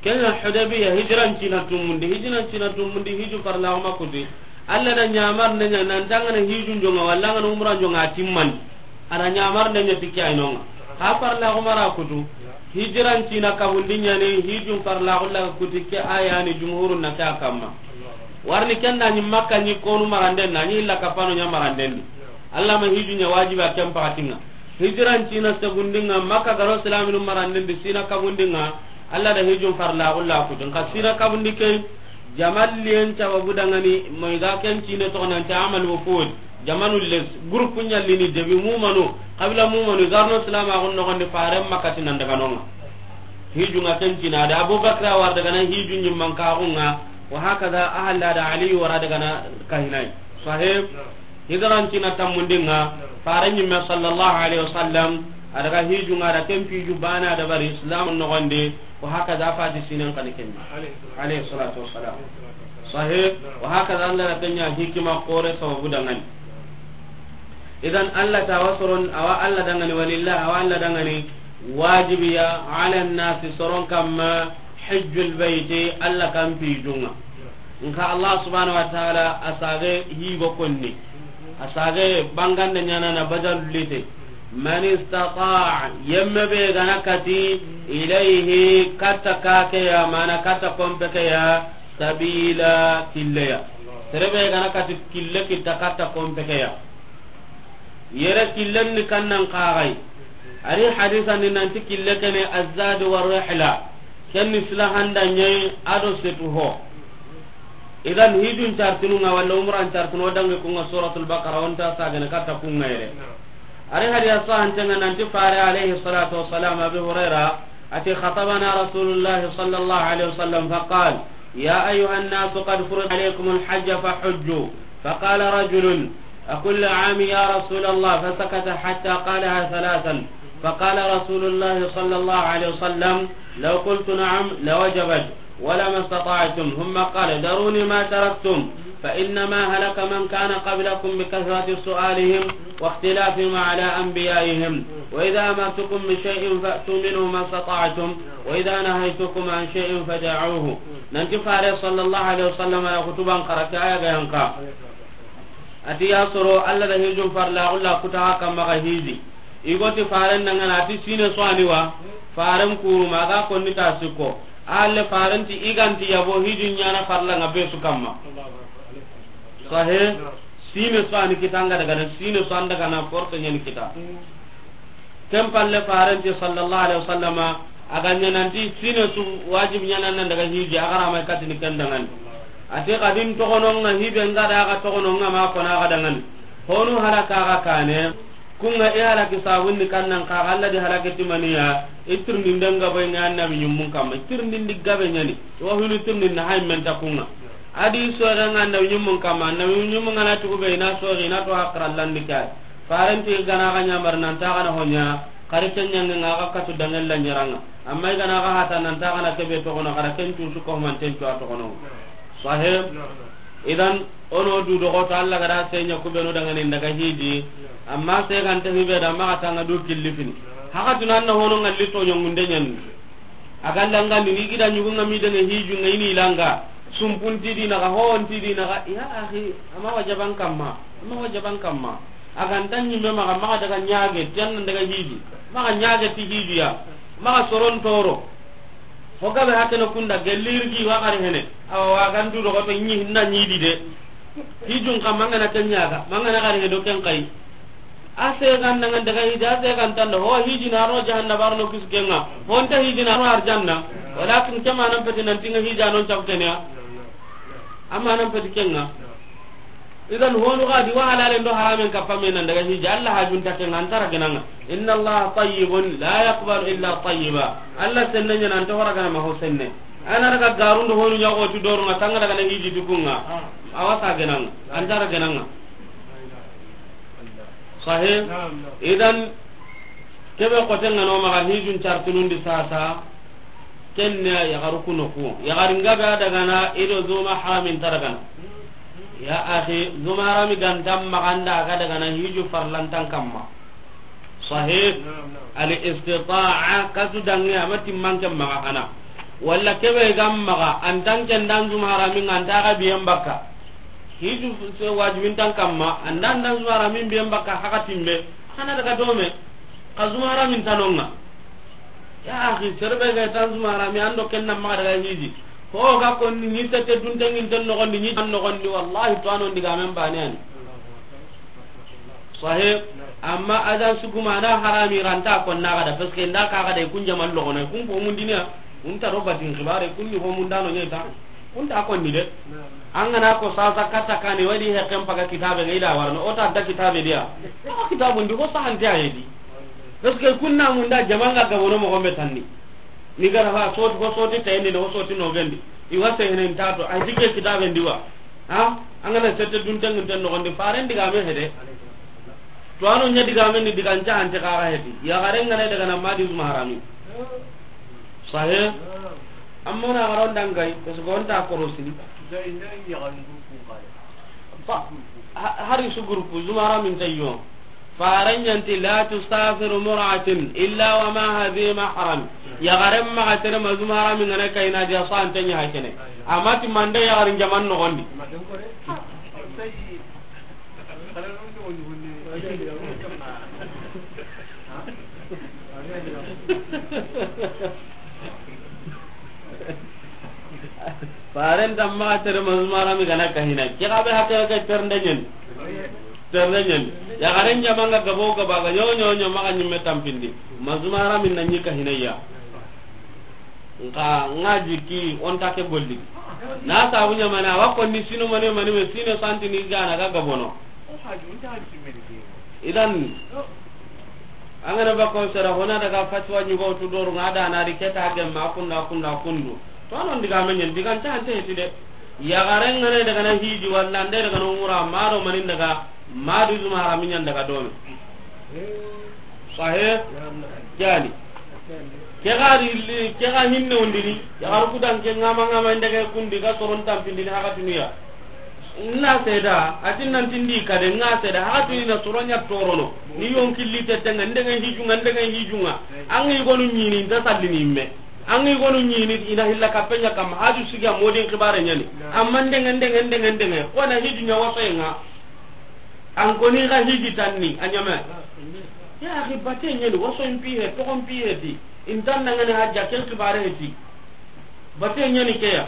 Kenya Hudaybiya hijiran cina tumundi, hijiran cina tumundi, hiju farlaxuma kuti. Alla da ɲamar nenya nan tangana hijun jonga, walla ngana umran jonga timman. Ana ɲamar nenya tikki aynonga. Xa farla xumara kutu. Hijiran cina kabundi ɲani, hijun farla xulla kutu, ke ayani jumhurun na ke a kamma. Warni ken da ɲi Makka ɲi konu maranden na, ɲi illa kapano ɲa maranden di. Allah ma hijun ɲa wajiba ken pakatinga. Hijiran cina segundinga, Makka garo silaminu maranden di, sina kabundinga, Allah da hijun farla xulla kutu. Nka sina kabundi ke, jamalliyen sababu dangani, moy ga ken cine toxo nanti amal wufud. Jamanu les, groupe ɲallini debi mumanu, kabila mumanu, garno silama xun noxondi faren makati nan daga nonga. Hijunga ken cina da Abubakar war daga na hijun ɲimman kaxunga, wa hakaza ahalla da Ali wara daga na kahinai. Sahib. Hijiran cina tammundinga, faren ɲimme sallallahu alaihi wasallam, a daga hijunga da ken piju bana da bari islam noxondi. Wa hakaza fati sinen kani kenya. Alayhi salatu wassalam. Sahih. Wa hakaza Allah na kenya hikima kore sababu dangani. Idan Allah ta wasoron awa Allah dangani, walillah awa Allah dangani, wajibiya ala nasi soron kamma hajjul bayti, Allah kan pijunga. Nka Allah subhanahu wa ta'ala asage higo konni. Asage bangande ɲana na badal lite. Man istata'a, yemme be gana kati, ilayhi, katta kake ya, mana katta kompe ke ya, sabila, kille ya. Sere be gana kati kille kita katta kompe ke ya. Yere killen ni kannan kagai. Ari hadisa ni nanti kille kene azad wa rihla. Ken ni silahanda ɲe ado setu ho. Idan hijun cartununga walla umran cartunu o dangi kunga Suratul Baqara, onta sagene katta kunga yere. Ari hadiya sahantenga nanti fare alayhi salatu wassalam, Abi Huraira, ati khatabana Rasulullah sallallahu alaihi wasallam faqal, ya ayyuhan nasu qad furida alaykumul hajja fahujju. Faqala rajulun, أكل عام يا رسول الله؟ فسكت حتى قالها ثلاثا. فقال رسول الله صلى الله عليه وسلم، لو قلت نعم لوجبت ولما استطعتم. ثم قال، ذروني ما تركتم، فإنما هلك من كان قبلكم بكثرة سؤالهم واختلافهم على أنبيائهم. وإذا أمرتكم بشيء فأتوا منه ما استطعتم، وإذا نهيتكم عن شيء فدعوه. Nanti fare sallallahu alaihi wasallam na khutuban karake aya ga yanka. Ati ya soro Allah da hijun farla, Allah kutaxa kamma ga hiji. Igoti faren dangana ati sine so ani wa, faren kuru maga konni ta sikko. Alle faren ti iganti yabo hijun ɲana farla nga be su kamma. Sahe, sine so ani kitanga daga na, sine so an daga na force ɲani kita. Ken palle farenti sallallahu alaihi wasallama, a ga ɲananti sine su wajib ɲanan nan daga hiji, a ga ra mai katini ken dangani. Ati kadin togononga hibe nga da ga togononga ma kona ga dangani. Honu halaka ga kane, kunga e halaki sabunni kannan ka Allah di halaki timaniya, itirni ndenga boy nga annabi nyummun kamma, itirni ndi gabe ɲani, wa hunu itirni na hay men ta kunga. Adi so ga nga annabi nyummun kamma, annabi nyummun nga na tugu be na so ri na to hakra landi kay. Farenti gana ga ɲamar nan ta gana honya, kari ken ɲange nga ga katu dangel la ɲaranga. Amma i gana ga hata nan ta gana kebe to kono kara ken tu su ko man ten to to kono. Sahib. Idan ono du dogo to Allah gara senya ku beno dangani daga hiji. Amma se kan ta hibe da ma tanga du killifini. Haka tunan na hono ngalli to nyongunde nyan. A ga langa ni gida ɲugunga mi dene hiju nga ini langa. Sumpunti di naga, honti di naga. Ya akhi, ama wajaban kamma. Ama wajaban kamma. A ga nta ɲimme maga, maga daga ɲage, ti an nan daga hiji. Maga ɲage ti hiji ya. Maga soron toro. Ho gabe hakene kunda, gelli irgi wa gari hene. Awa wa gandu dogo to ɲi hinna ɲi di de. Hijun kamma ngana ken ɲaga, mangana gari he do ken kai. A se gan nan daga hiji, a se gan tanda, ho hiji na ro jahannaba arno kiskenga. Ho nta hiji na ro arjanna. Walakin kema nan peti nan tinga hija non chaptenya. Amma nan peti kenga. Idan honu ga di wa halalen do haramen kappa me nan daga hiji, Allah hajun ta kenga antara genanga. Inna Allah tayyibun la yaqbalu illa tayyiba. Allah senne ɲana anta hora gana ma ho senne. Ana daga garundo honu ɲago tu doru nga tanga daga na hiji tukunga. Awa sa genanga, antara genanga. Sahih. Idan kebe kotenga no maga hijun cartunundi sasa. Kenne yagaru kuno ku. Yagari ngabe a dagana ido zuma haramin ta dagana. Ya akhi, zuma harami gantam maganda ga dagana hiju farlantan kamma. Sahih. Al istita'a katu dangi ama timmanke maga kana. Walla kebe gam maga antan ken dan zuma harami nganta ga biyen bakka. Hiju se wajibin tan kamma andan dan zuma harami biyen bakka haka timbe. Kana daga dome. Xa zumara min tanonga. Ya axi, sere be ga tan zumara mi ando ken na maxa daga hiji. Ho ga konni ni sette duntenŋinten noxondi, ni an noxondi, wallahi to anon digamen bane ani. Sahih. Amma adan suguma na harami ranta konna gada, parce que nda ka gada kun jaman logono, kun ko mundiniya, kun ta ro batin xibare, kun ni ho mundano ɲeta. Kun ta konni de. An gana ko sasa katta kani wadi hekken paga kitabe ngai da warno, o ta da kitabe dia. O kitabu ndi ko sahante ayedi. Parce que kunna munda jamanga gabono mo gombe tanni. Ni gara fa soti ko soti tayni no soti no gendi. Iwa se henen tato, ay dike kitabe ndiwa. Ha? An gana sette duntenŋinten noxondi, faren digame hede. To ano ɲa digame ni digan ca ante kaga hedi. Ya garen gana daga na madi zuma harami. Sahih. Amma na garon dangai, parce que on ta korosini. Fa-, ha-, hari su groupe, zumara min tayyo. Faran yanti la tusafiru mar'atun illa wa ma'aha dhu mahram. Ya garen maxa tere ma zumara min gana kayna dia sante nya hakene. Amati mande ya garin jaman noxondi. Faren tamma tere ma zumara mi gana kahina. Ke ga be hakke ke ternde nyen. Ternde nyen. Ya garen jamanga gabo gaba ga nyo nyo nyo maga nyimme tampindi. Ma zumara min na nyi kahina ya. Nka ngaji ki on ta ke golli. Na sabu ɲamana wa konni sino mane mane me sino santi ni gana ga gabono. Idan, an gana ba ko sera hona daga fatwa ɲugo tu doru nga da na ri keta gemma kunda kunda kundu. To non diga men nyen digan ta ante heti de. Ya garen ngane daga na hiji walla nde daga no mura maro manin daga madu zuma harami ɲan daga dome. Sahih. Jani. Ke ga ri, ke ga hinne undini. Ya garu kudan ke ngama ngama ndege kundi ga soron tampindini haka tuniya. Na seda, atin nan tindi kade nga seda, haka tuni na soronya torono. Ni yon killi tetenga, ndenge hijunga, ndenge hijunga. Angi gonu nyini, nta sallini imme. Angi gonu nyini, ina hilla kapenya kam, haju siga modin kibare nyani. Amma ndenge, ndenge, ndenge, ndenge. Kona hiju nya waso nga. An koni ga hiji tanni, a nyama. Ya akhi, bate nyani, waso impi he, toko impi he ti. Intan nangane hajja, ken kibare he ti. Bate ɲani ke ya.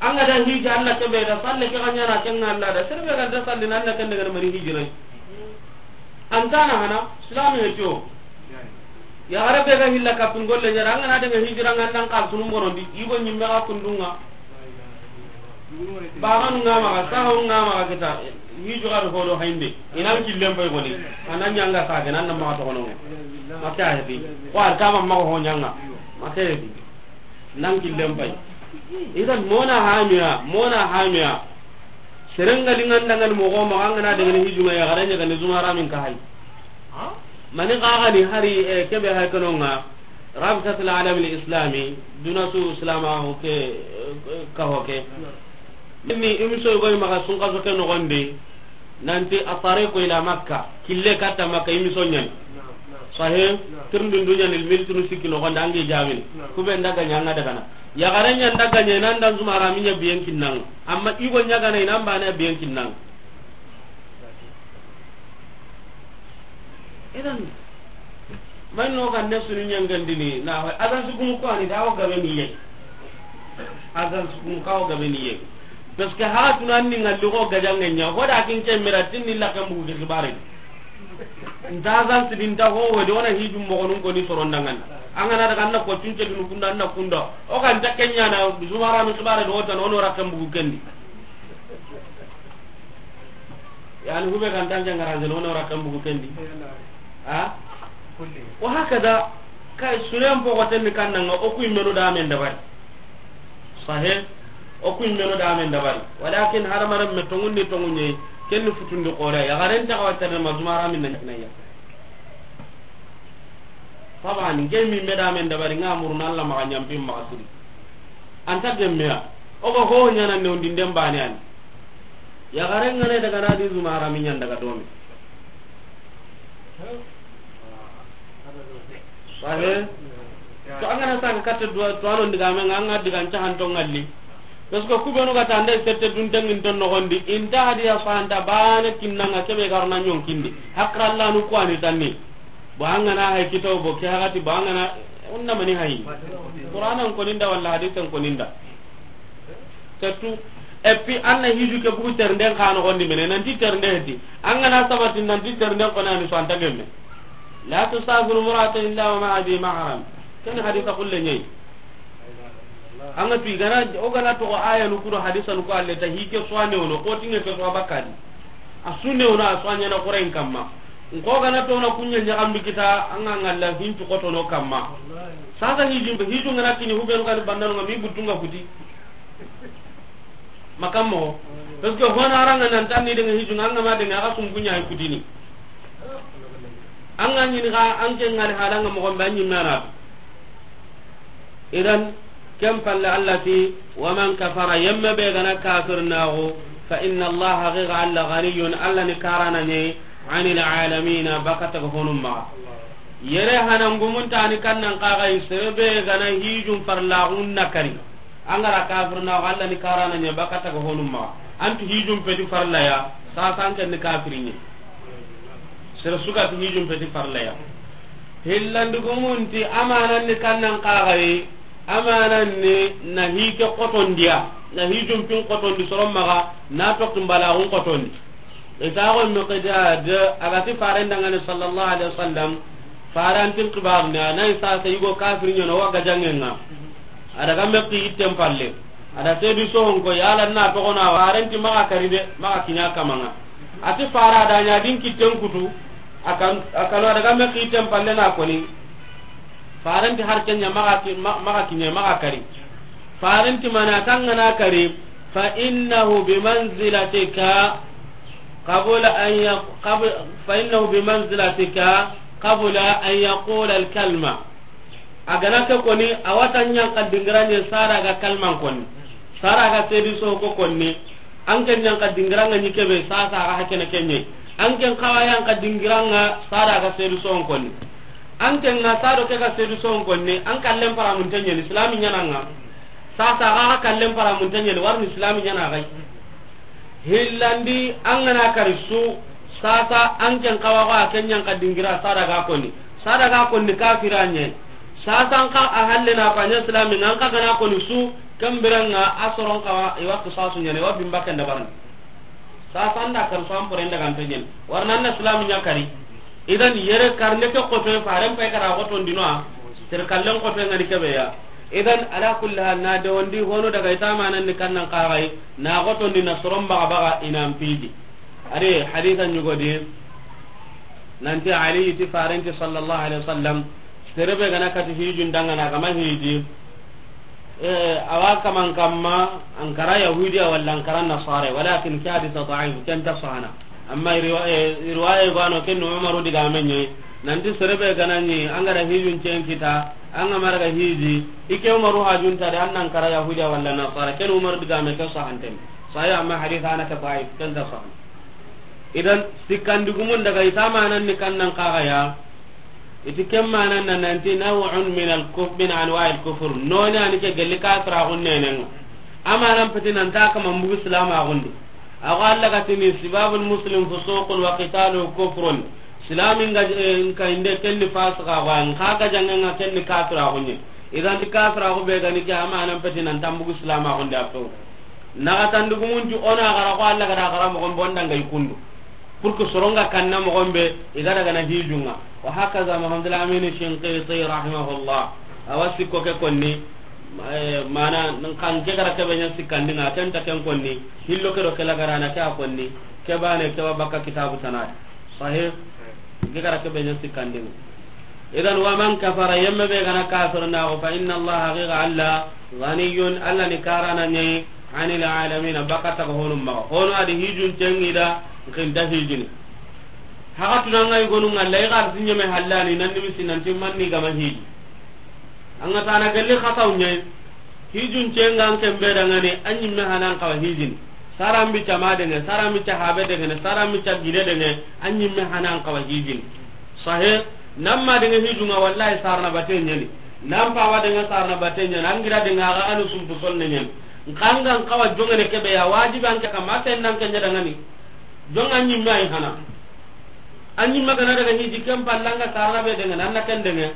An ga da hija Allah ke be da salle ke ga ɲana ken Allah da. Sere be ga da salle nan da ken daga mari hijira. An ta na hana, Islam he to. Ya gare be ga hilla kapin golle ɲara, an ga na daga hijira ngan nan kal tunum bonondi. Igo nyimme ga kundunga. Baganu nga maxa, saho nga maxa kita, hiju ga do hodo hainde. Inan killen pay goni. Anan ɲanga sage nan na maxa to gono. Maka hedi. Ko ar kama maxa ho ɲanga. Maka hedi. Nan killen pay. Idan mona hamiya, mona hamiya. Serenga lingan dangan mogo maxa ngana daga ni hijuma ya garanya ga ni zuma ramin ka hay. Mani ga ga ni hari, eh, kebe hay kono nga. Rabitatul Alam al Islami, duna su Islam ho ke, eh, ka ho ke. Ni imiso go maxa sun ka so ke no gonde. Nanti At-Tariqu ila Makka, kille katta Makka, imiso ɲani. Sahih. Tirndun dunya ni mil tunu sikki no gonda angi jamin. Kube ndaga ɲanga daga na. Ya garanya ndaga ɲe nan dan zuma rami ɲa biyen kinnang. Amma igo ɲaga na inan bana biyen kinnang. Idan, man no kan ne sunu ɲangandini na, adan su gumu ko ani da o gabe ni ye. Adan su gumu ka o gabe ni ye. Parce que ha tunan ni ngalli ko gajange ɲa, ko da kin ke mira tin ni la kan bugu ke xibare. Nta adan sidin ta ho wodi ona hijum mo gonun ko ni soron dangan. An ga na daga na ko tunce dun kunda na kunda. O kan ta kenya na zumara mi xibare do tan ono rakan bugu kendi. Yani hube kan tan jangara jeno no rakan bugu kendi. Ha? Wa hakada, kay sulen pogo tenni kannanga, o kuy menu da men dabari. Sahih. O kuy menu da men dabari. Walakin haramaram me tongundi tongunye, kenni futundi qore ya garen ta kawata ma zumara min nan kinaya. Taban, gemi me da men dabari nga muruna Allah maxa ɲampi maxa siri. Anta gemmeya. O ga ho ɲana ne undi ndem bane an. Ya garen ngane daga na di zumara mi ɲan daga domi. Sahih. To an ga na saga katta duwa, to anon diga men nga, an ga diga nta han to ngalli. Parce que kubenu ga tande sette dun tengin ton no gondi. Inta hadiya santa bane kinnanga kebe garna ɲon kindi. Hakra Allah nu ko ani tanni. Bo an ga na hay kitaw bo ke hagati, bo an ga na, onna mani hay. Qur'anan koninda walla hadisen koninda. Surtout, et puis an na hiju ke bugu ternden xa noxondi mene, nanti ternde heti. An ga na sabati nanti ternden kona ni so anta gemme. La tusafiru imra'atun illa wa ma'a dhi mahram. Ken hadisa kulle ñayi. An ga tu i gana, o gana toxo ayanu ku do hadisanu ku, alle ta hi ke soine wono, ko tinge ke so bakadi. A sunne wono, a soine na Qur'an kamma. N ko gana to na kunya ñaxambi kita, an ga ngalla hintu kotono kamma. Sasa hijun, hijun gana kini hubenu gani bandanu nga mi butunga kuti. Makammo. Parce que hona aranga nan tanni de hijun, an ga ma de nga sun kunya hay kutini. An ga ñini ga an ke ngali halanga mo gombe an ñi mana. Idan, ken palle Allah ti, wa man kafara, yemme be gana kafir naxu, fa inna Allah, haqiqa Allah, ghaniyun, Allah ni karana ñe, anil alamina, bakata ga honum maxa. Yere hanangumun tani kannan kaxay, sere be gana hijun farlaxun na kari. An ga ra kafir naxu, Allah ni karana ñe, bakata ga honum maxa. Antu hijun peti farlaya, sasan ken ni kafiri ñe. Sere suga ti hijun peti farlaya. Hillandugumunti amanan ni kannan kaxayi, amanan ni na hike kotondiya, na hijun pin kotondi soron maxa, na tokki mbalaxun kotondi. Itaxo Miqdad, a ga ti faren dangani sallallahu alaihi wasallam, farantin kibarni, a na isa sa yigo kafir ñono wa gajangenga. A daga mekki itten palle. A da seedi sohon ko, yala na toxona, farenti maxa kari de, maxa kiña kamanga. A ti fara da ña din kitten kutu, a kan, a kano a daga me kitten palle na koni. Farenti har kenya maxa ki-, ma-, maxa kiñe, maxa kari. Farenti mana tangana kari, fa innahu bi manzilatika qabla an yaq-, qab-, fa innahu bi manzilatika qabla an yaqula al kalma. A gana ke koni, a wata ñanka dingira ñe sara ga kalman koni. Sara ga seedi so ko koni. An ke ñanka dingira nga ñi kebe sasa ga hakene kenye. An ke kawa ñanka dingira nga sara ga seedi so koni. An ke nga sado ke ga seedi so koni. An kallen paramun tenye ni islami ñana nga. Sasa ga kallen paramun tenye ni warni islami ñana gai. Hillandi an gana kari su, sasa an ken kawa ko a ken ñanka dingira sadaga koni. Sadaga koni kafira ñe. Sasa an ka a halle na ko a ña islami nga an ka gana koni su, ken birenga a soron kawa i waktu sasu ñene, wa bimba ken dabarni. Sasa an da kari su an poren daga an tenyen. Warna an na islami ña kari. Idan yere karne ke koto faren pay kara koto ndino a. Ter kallen koto ngani kebe ya. Idan ala kulli hal na de wondi hono daga itamanan ni kannan kagai. Na gotondi na soron baga baga i nan piji. Ari hadisa ñugodi nanti Ali ti farenti sallallahu alaihi wasallam, serebe gana kati hijun dangana gama hiji. Eh, awa kaman kamma ankara yahudiya wala ankara nasara, walakin ke hadisa daif, ken ta sahana. Amma riwa-, eh, riwaya gano ken Umaru diga menye, nanti serebe gana ni angara hijun cen kita, anga maraga hiji, ike Umaru hajunta de annan kara yahudiya wala nasara, ken Umaru diga me ke sahanten. Sahih, amma hadith ana ka daif, ken ta sahih. Idan, sikkandigumun daga itamanan ni kannan kagaya, iti ken manan na nanti naw'un min al-kuf-, min anwa'il kufur. Noni ani ke gelli kafira gunnenen. Amanan peti nan ta kama mbugu islama gundi. Ago Allah gatini sibabul muslim fusuqun wa qitaluhu kufrun. Islamin ga, eh, nka inde kenni fasika wa, nka ga jangenga kenni kafira gunye. Idan kafira gu be gani ke amanan peti nan ta mbugu islama gundi ato. Naxatandugumunti o na xara xo Allah ga da xara moxon be o nda nga i kundu. Pour que soronga kanna moxon be i ga daga na hijunga. Wa hakaza Muhammad al-Amin Shinqiti rahimahullah. Awa sikko ke konni, eh, mana kan ke gara ke be ña sikkandinga, ken ta ken konni, hillo ke do ke la garana ke a konni, ke bane ke wa bakka kitabu tanat. Sahih. Ke gara ke be ña sikkandinga. Idan, wa man kafara, yemme be gana kafir na ko, fa inna Allah, haqiqa Allah, ghaniyun, Allah ni karana ñayi, anil alamina, bakata ko honum ma. Hono adi hijun cengi da, nkinta hijini. Haka tunanga i gonu ngalla, i gar sinyeme hallani, nan nimisi nan timmanni gama hiji. Anga tana galli khataw ñayi. Hijun cengan ken be dangani, an ñimme hanan kawa hijini. Saran bi cama denge, saran bi cahabe denge, saran bi cagide denge, an ñimme hanan kawa hijini. Sahe, nan ma denge hijunga wallahi sarna bate ñeni. Nan pawa denge sarna bate ñeni, an gira denge aga anu sumpu sonne ñeni. Nkangan kawa jongene kebe ya wajibi anke kama sen nan ke ña dangani. Jonga ñimme ay hana. An ɲi ma ga na daga hiji ken palla, an ga karana be dangana, an na ken dange.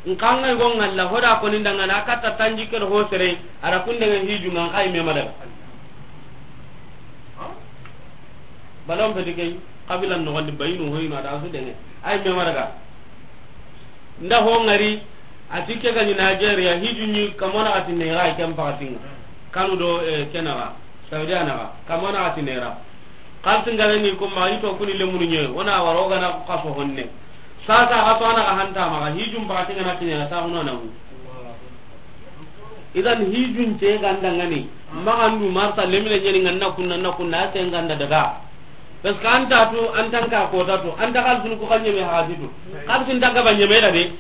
N xa an ga i go ŋalla, ho da koni dangana, a katta tanjikke do ho sere, a da kun dange hiju ŋa, an xa i me ma daga. Balon feti ke, xabila noxondi, bayinu hoyinu, a da su dange. A yi me ma daga. Nda ho ŋari, a ti ke ga ɲi Nigeria, hiju ɲi, kamo na xa ti nera, ken paxati ŋa. Kanu do, eh, ke na xa, Saudi a na xa, kamo na xa ti nera. Xalisi n ga na ni ko ma, i to kuni lemunu ɲe, o na wara o ga na xaso honne. Sasa xaso a na xa hanta maxa, hijun paxati n ga na kiɲana, ta huno na hu. Idan hijun ce ga n dangani, maxa ndu marsa lemine ɲeni n ga na kunna, na kunna, a se n ga n da daga. Parce que an ta tu, an ta n ka kota tu, an ta xalisin ku xa ɲeme hasi tu. Xalisin ta gaba ɲeme da de.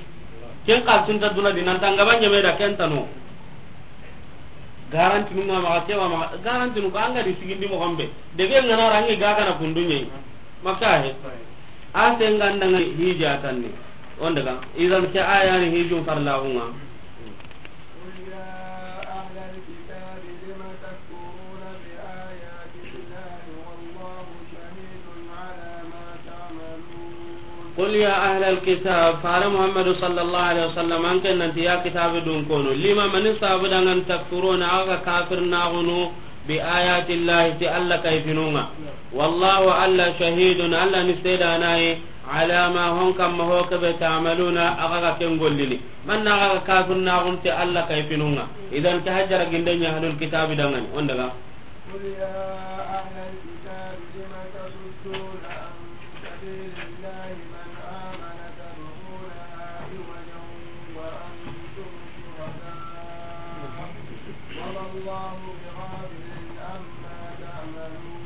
Ken xalisin ta duna di, nan ta gaba ɲeme da, ken ta no. Garanti nu ŋa maxa, ke wa maxa, garanti nu ko an ga di sigindi moxo be. Debe n ga na ra, an ga ga na kundu ɲe. Maka he. A se n ga n dangani hija tanni. O n daga. Idan ke aya ni hijun farla hu ŋa. قل يا أهل الكتاب لم تكفرون بآيات الله والله شهيد على ما تعملون. قل يا أهل الكتاب، fare Muhammadu sallallahu alaihi wasallam, an ke nan ti ya kitabe dunkono, lima, mani sabu dangan, takfuruna, axa ga kafirnaxunu, bi ayati Llahi, ti Alla kayfinu ŋa. Wallahu, Alla, shahidun, Alla ni seedanayi, ala ma, hon kamma ho ke be, ta'maluna, axa ga ken gollini. Manna axa ga kafirnaxunu ti Alla kayfinu ŋa. Idan ke hajara ginde ɲa ahlul kitabi dangani. O n daga. قل يا أهل الكتاب لم تصدون عن سبيل الله من آمن تبغونها عوجا وأنتم شهداء وما الله بغافل عما تعملون.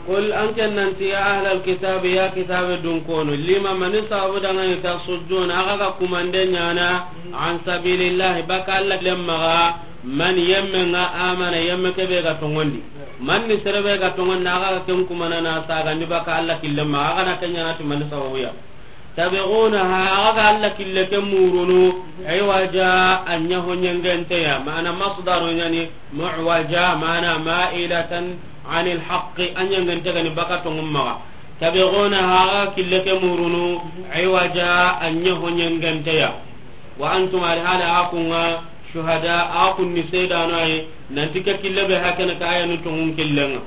قل، an ke nan ti, ya ahlal kitabi, ya kitabe dunkono, lima, mani sabu dangani, tasudduna, axa ga kumande ɲana, an sabilillahi, baka Alla killen maxa, man, yemme ŋa, amana, yemme ke be ga tongondi. Man ni sere be ga tongondi, axa ga ken kumana na sagandi baka Alla killen maxa, axa na ken ɲana ti mani sababu ya. Tabghunaha, axa ga Alla kille ke murunu, iwaja, a ɲa ho ɲengente ya, mana masdaru ɲani, mu'waja, mana ma'ilatan anil haqqi, a ɲengente ga ni baka tongun maxa. Tabghunaha, axa ga kille ke murunu, iwaja, a ɲa ho ɲengente ya. Wa antum, alhala axa kun ŋa, shuhada, axa kun ni seedano yi, nanti ke kille be hakene ka ayanu tongun killen ŋa.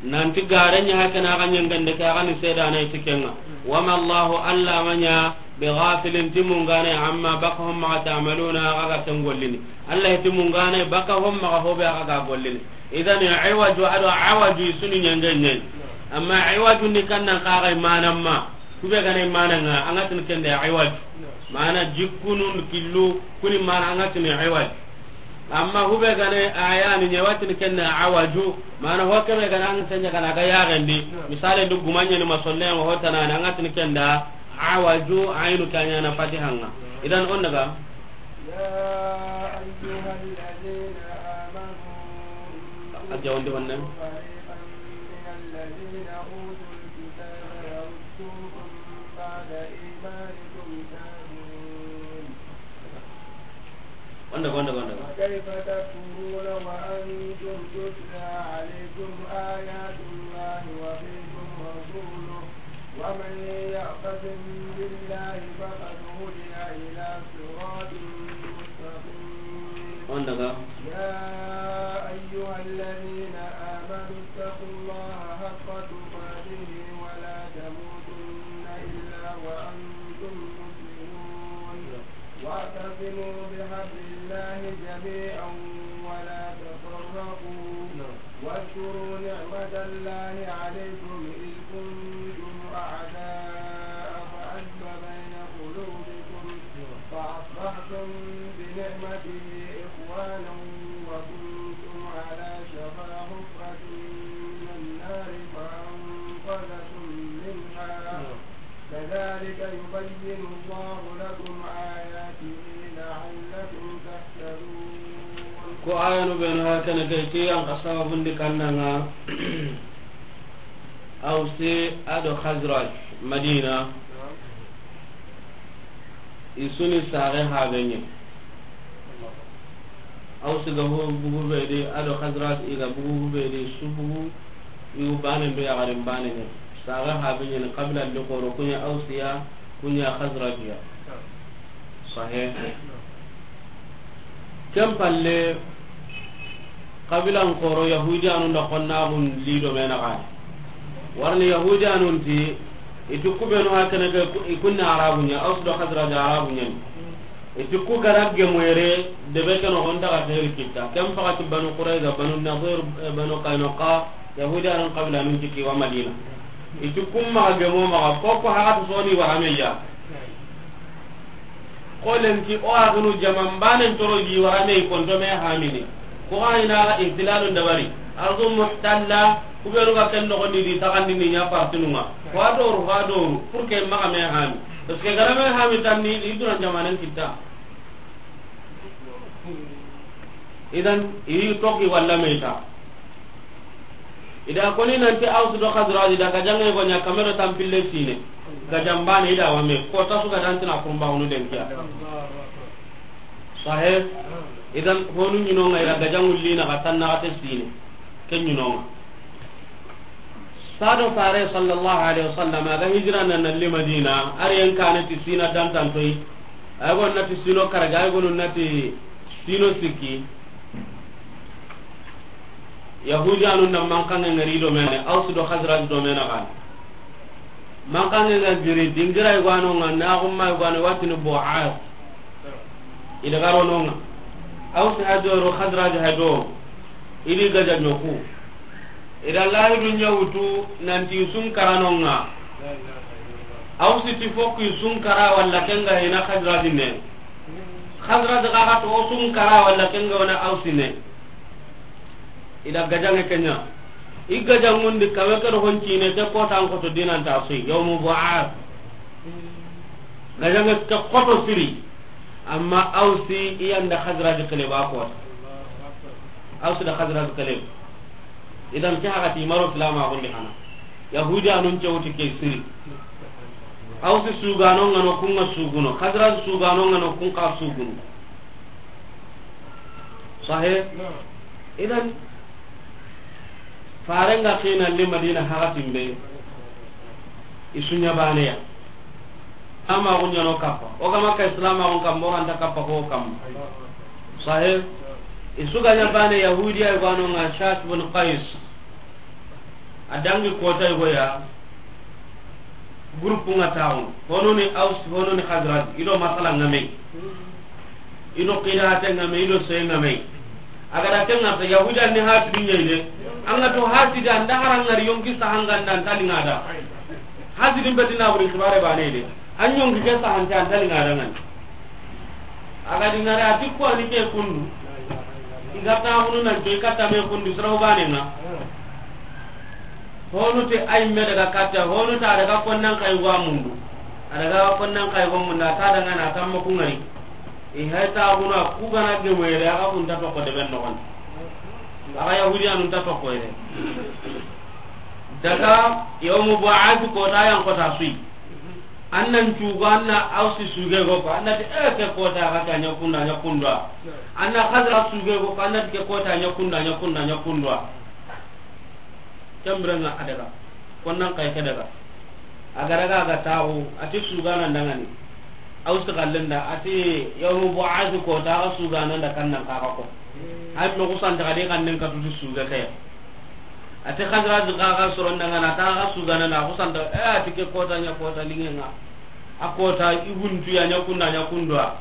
Nanti gare ɲa hakene axa ɲengende ke, axa ni seedana yi ti ken ŋa. Wama Allahu, Alla ma ɲa, bighafilin, ti mungane, amma, baka ho maxa, ta'maluna, axa ga ken gollini. Alla ti mungane, baka ho maxa ho be axa ga gollini. Idan iwaju ado awaju i su ni ɲenge ɲa yi. Amma iwaju ni kannan xa ga yi manan ma. Ku be ga na yi manan ŋa, an ga tini ken da iwaju. Mana jikkunun killu, ku ni mana an ga tini iwaju. Amma hube gane aya ni ɲa wa tini ken da awaju, mana ho ke be gane an tanya kana ga yaxendi. Misali ndu gumaɲe ni masolle ma ho tanani, an ga tini ken da awaju, ayinu ke ɲa na fatiha ŋa. Idan o n daga. يا أيها الذين آمنوا إن A jawandi wanne. تطيعوا فريقا من الذين أوتوا الكتاب يردوكم بعد إيمانكم كافرين. Wanda, wanda, wanda. وكيف تكفرون وأنتم تتلى عليكم آيات الله وفيكم رسوله ومن يعتصم بالله فقد هدي إلى صراط مستقيم. Wanda ga. يا أيها الذين آمنوا اتقوا الله حق تقاته ولا تموتن إلا وأنتم مسلمون. واعتصموا بحبل الله جميعا ولا تفرقوا. واذكروا نعمة الله عليكم إذ كنتم أعداء فألف بين قلوبكم فأصبحتم بنعمته إخوانا وكنتم على شفا حفرة من النار فأنقذكم منها. كذلك يبين الله لكم آياته لعلكم تهتدون. Ko ayanu benu hakene ke, ke yan ka sababundi kannanga. Awsi ado Khazraj, Madina. I su ni sare habeɲe. Awsi ga hu bugu be di, ado Khazraj i ga bugu be di, su bugu, i wu bane be ya garin bane ne. Saga ha be ɲeni, qabila li xoro, ku ɲa Ausiya, ku ɲa Xazrajiya. Sahe. Ken palle, qabilan xoro, Yahudiyanun da xonnaxun li do me naxa. Warni Yahudiyanun ti, i ti ku benu ha kene ke, i kunni Arabu ɲa, Aus do Xazraj Arabu ɲani. I ti ku ga ra gemu yere, debe ke noxon daga xeeri kitta. Ken paxati Banu Qurayza, Banu Nadir, eh, Banu Qaynuqa, Yahudiyanun qabilanun ti kiwa Madina. I ti kun maxa gemo maxa, ko ko haxatu soni wara me ya. Ko lenki o axunu jaman banen toro yi wara me, i konto me hamini. Ko xa ina ga ihtilalun dabari. Ardu muhtalla, ku benu ga ken noxon di, di taxandi ni ɲa partinun ŋa. Ko a doru, ko a doru, pour que maxa me hami. Parce que ga ra me hami tanni, i duran jamanen kitta. Idan, i toxi walla me ta. I da koni nanti Aus do Xazraj da gajaŋe go ɲa kame do tanpille sine. Gajaŋ baane i da wa me, ko ta su ga dantina kurumba hunu den kiya. Sahe. Idan, honu ɲi no ŋa i da gajaŋ wulli na ga tanna ga te sine. Ken ɲi no ŋa. Sado Faare sallallahu alaihi wasallam a ga hijira na na li Madina, a ri yan kane ti sina dantantoyi. Ay go na ti sino karage, ay go na ti sino sikki. Yahudiyanun na mankanŋe ŋari do me ne, Aus do Xazraj do me naxa. Mankanŋe ŋa giri, dingira i gwano ŋa, na gumma i gwano, watini Bu'as. I da ga ro no ŋa. Aus ha do ro, Xazraj ha do. I di gaja ɲoku. I da lahidu ɲa wutu nanti i su n kara no ŋa. Ausi ti fokki i su n kara walla ken ga hina Xazraj ne. Xazraj ga ga to o su n kara walla ken ga wa na Ausi ne. I da gajaŋe ke ɲa. I gajaŋun di kame ke do honcine, ke kota n koto dinan ta sui, yawmu Bu'as. Gajaŋe ke koto siri. Amma Ausi i yan da Xazraj kele ba kota. Ausi da Xazraj kele. Idan ke haxa ti maro silamaxun di hana. Yahudiyanun ce wuti ke siri. Ausi sugano ŋa no kun ŋa suguno. Xazraj sugano ŋa no kun xa suguno. Sahe. Idan, Faaren ga xina li Madina haxatin be, i su ɲa baane ya. Ama ku ɲa no kappa. O ga ma ka islamaxun kamma, o ra nta kappa ko kamma. Sahe. I su ga ɲa baane Yahudiya i gwano ŋa Shas bin Qais. A dangi kota i go ya. Groupe ŋa taxunu. Hono ni Aus, hono ni Xazraj. I do masala ŋa me. I do qiraate ŋa me, i do soye ŋa me. A ga da ken ŋa ta, Yahudiyan ni hasidi ɲa i de. An ga to hasidi, an da hara ŋari yonki saha ŋa nda an ta liŋa da. Hasidi n beti na buri xibaare baane de. An yonki ke saha nta an ta liŋa da ŋa ni. A ga di ŋari a ti ko a ni ke kundu. I ga taxunu nan to i katta me kundu soro baane ŋa. Honu te ay me daga katta, honu ta daga konnan kay wa mundu. A daga konnan kay wa mundu, a ta daga na tamma ku ŋari. I hay ta guna ku ga na ge moyre, a ga kun ta to ko de ben no. A ga Yahudiyanun ta to ko yere. Daga yawmu Bu'as kota yan kota sui. An nan cugo, an na Ausi suge go ko, an na ti, eh, ke kota ga ta ɲa kunda, ɲa kunda. An na Xazraj suge go ko, an na ti ke kota ɲa kunda, ɲa kunda, ɲa kunda. Ken biren ŋa a daga. Konnan kay ke daga. A ga daga a ga taxu, a ti sugana ndangani. Ausi xallen da, a ti yawmu Bu'as kota ga sugana nda kannan ka ga ko. Ay mo ku santa ga de kannen ka tuti suge ke. A ti Xazraj ga ga soro ndangana, ta ga sugana na ku santa, eh, a ti ke kota ɲa kota liŋe ŋa. A kota i guntu ya ɲa kunda ɲa kundwa.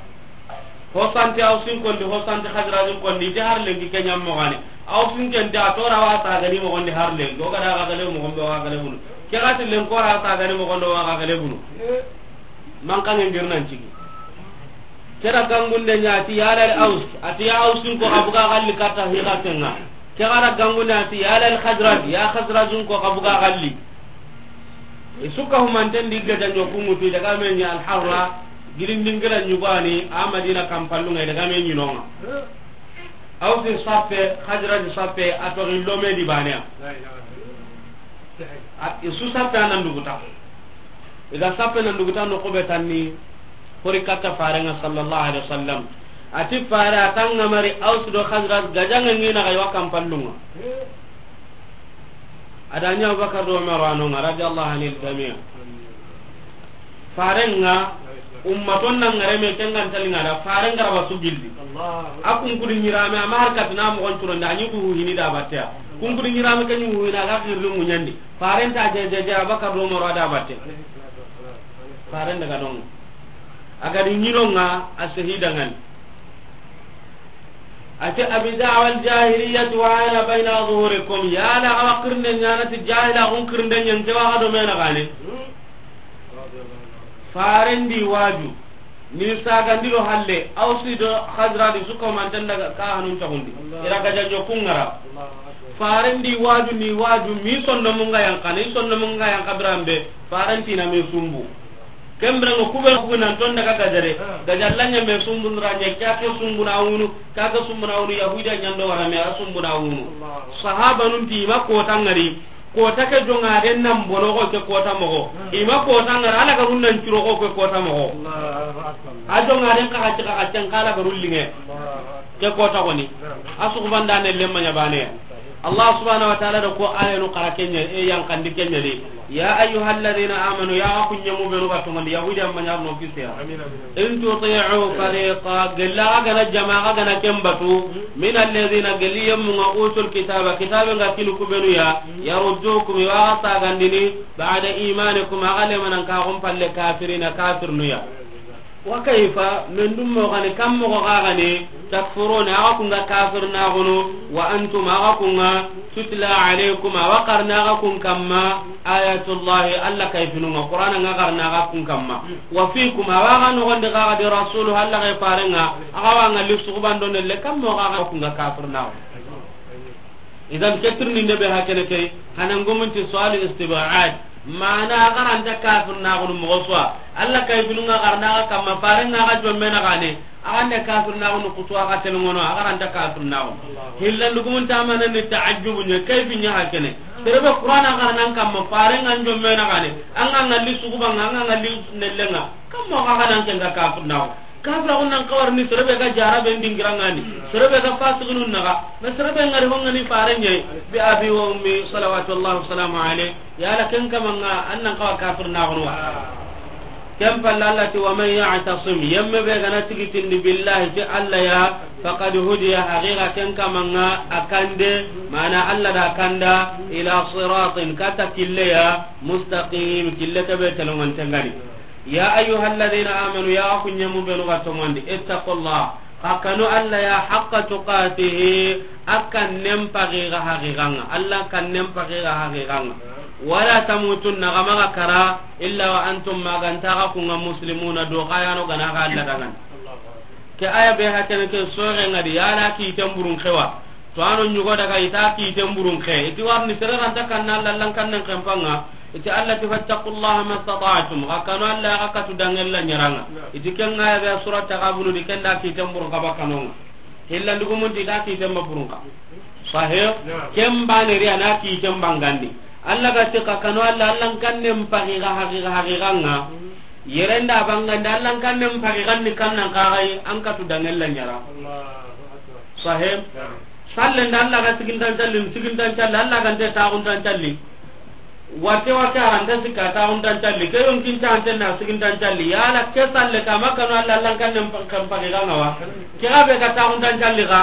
Ho sante Ausin kondi, ho sante Xazrajin kondi, i ti har lenki ke ɲa moxo ni. Ausin ken ti a tora wa sagani moxon di har lenki. O ga da ga gale moxon be wa gale bunu. Ke ga ti len ko ra sagani moxon do wa ga gale bunu. Mankanŋe ngir nan cigi. Ke da gangunde ɲa ti ya lal Aus, a ti ya Ausin ko xa buga xalli katta hi ga tenga. Ke ga da gangunde a ti ya lal Xazraj, ya Xazrajin ko xa buga xalli. I su ka humanten di gaja ɲo ku ŋutu, i daga me ɲi Al-Harra, girindin gira ɲugani, a Madina kampallunga, i daga me ɲi nonga. Ausi sappe, Xazraj sappe, a toxi lome di baneya. A, i su sappe a nan duguta. I ga sappe nan duguta no xube tanni, hori katta farenga sallallahu alaihi wasallam. A ti fare a tanga mari Aus do Xazraj gajange ngina ga i wa kampallunga. A da ɲa Abubakar do Umar wa no ŋa, radiyallahu anil jami'. Faren ŋa, ummaton na ŋare me, ken ga nta li ŋa da, faren ga ra ba su gilli. A kunkudi ɲirame, a ma har katina moxon curonde, a ɲi ku hini da batte ya. Kunkudi ɲirame ke ɲi hina ga xirri ŋuɲandi. Faren ta je, je, je, Abubakar do Umar wa da batte. Faren daga don ŋa. A ga di ɲi no ŋa, a sehida ŋa ni. A ti, "Abi da'wal jahiliyyati wa ana bayna zuhurikum." Ya la, awa kirinde ɲa na ti jahila, kun kirinde ɲa, n ke wa ga do me na gane. Faren di waju. Ni sagandi do halle, Awsi do Xazraji su ko manten daga ka hanun taxundi. I ra gaja ɲo kun ŋa ra. Faren di waju, ni waju, mi sonno mun ga yanqa, ni sonno mun ga yanqa biranbe, faren ti na mi sumbu. Ken biranŋa ku be ku nan ton daga gajare. Gaja la ɲa me sumbu ra ɲa, ka ke sumbu na wunu, ka ke sumbu na wunu, Yahudiya ɲa ndo wara me a sumbu na wunu. Sahabanun ti ma kota ŋari, kota ke jonga den nan bono ko ke kota moxo. I ma kota ŋari, Alla ga run nan curo ko ke kota moxo. A jonga den ka ka cika ka can kala ga rullinge. Ke kota koni. A su ku banda ne lemma ɲa bane. Allah subhanahu wa ta'ala da ko ayanu xara ken ɲa, e yan kandi ken ɲa de. Ya ayyuhalladhina amanu, ya ku ɲemu benu ga tongondi, Yahudi amma ɲa no kisiya. In tuti'u fariqa, gella ga na jama ga na ken batu, min alladhina, gelli yemmu ŋa, utul kitaba, kitabe ŋa kinu ku benu ya, yaruddukum, i wa ga sagandini, ba'da imanikum, a ga lemanan ka gum palle kafirina, kafirnu ya. Wa kayfa, men dum mo gani, kam mo ga gani, takfuruna, a ga kun ga kafirna gunu, wa antum, a ga kun ga, tutla alaykum, a wa qarna ga kun kamma, ayatullahi, Alla kayfinu ŋa, Qur'ana ŋa qarna ga kun kamma. Wa fikum, a wa ga nogondi ga ga di rasulu, Alla ga fare ŋa, a ga wa ŋa li suguban do nelle, kam mo ga ga kun ga kafirna gunu. Idan ke tirindinde be hakene ke, hanan gumunti su'alu istib'ad. Mana a ga ra nta kafirnaxunu moxo su wa. Alla kayfinu ŋa qarna ga kamma, fare ŋa ga jomme na gane. A ga nda kafirnaxunu kutu a ga telŋono, a ga ra nta kafirnaxunu. Hillandu gumunta mana ni ta'ajjubu ɲa, kayfi ɲa hakene. Sere be Qur'ana qarnan kamma, fare ŋa jomme na gane. An ga ŋa li suguba ŋa, an ga ŋa li nelle ŋa. Kamma ga ga nan ken ga kafirnaxunu. Kafira kun nan kawarini, sere be ga jara be ndingira ŋa ni, sere be ga fasiqinun naxa, na sere be ŋari ho ŋa ni fare ɲa yi, bi abi wa ummi, salawatullahi wa salamu alayhi, yala ken kama ŋa, an nan kawa kafirnaxunu wa. Ken palle Alla ti, wa man ya'tasim, yemme be ga na tigitindi billahi ti Alla ya, faqad hudiya, haqiqa ken kama ŋa, a kande, mana Alla da kanda, ila siratin, kata kille ya, mustaqim, kille ke be telongonte ŋa ni. Ya ayyuhalladhina amanu, ya ku ɲemu benu ga toŋondi, ittaqullah, xa kanu Alla ya, haqqa tuqatihi, a kannen paxi ga haqiqa ŋa, Alla kannen paxi ga haqiqa ŋa. Wala tamutunna, xa maxa kara, illa wa antum, ma ga nta xa kun ŋa, muslimuna, do xa ya no ga na xa Alla dangana. Ke aya be hakene ke soxe ŋa di, yala kiten burun xewa. To ano ɲugo daga i ta kiten burun xe. I ti warni sere ra nta kanna Alla, Alla n kannen xenpa ŋa. I ti Alla ti, fattaqullaha mastata'tum. Xa kanu Alla, xa katu danŋen la ɲaranŋa. I ti ken ŋa ya be surat Taghabun di, ken da kiten burun xa ba kanu ŋa. Hillandu gumunti i ta kiten ba burun xa. Sahih? Ken bane ri a na kiten bangandi. Alla ga ti xa kanu Alla, Alla n kannen paxi ga haqiqa, haqiqa ŋa. Yere nda bangandi, Alla n kannen paxi ga ni kannan xa ga yi, an katu danŋen la ɲara. Sahih? Salle nda Alla ga sigintan calli, sigintan calli, Alla ga nte taxuntan calli. Wate wate a ra nta sikka taxuntan calli. Ke yonkin ta ante na sigintan calli. Yala ke salle ka ma kanu Alla, Alla n kannen pa-, kan paxi ga ŋa wa. Ke ga be ga taxuntan calli ga.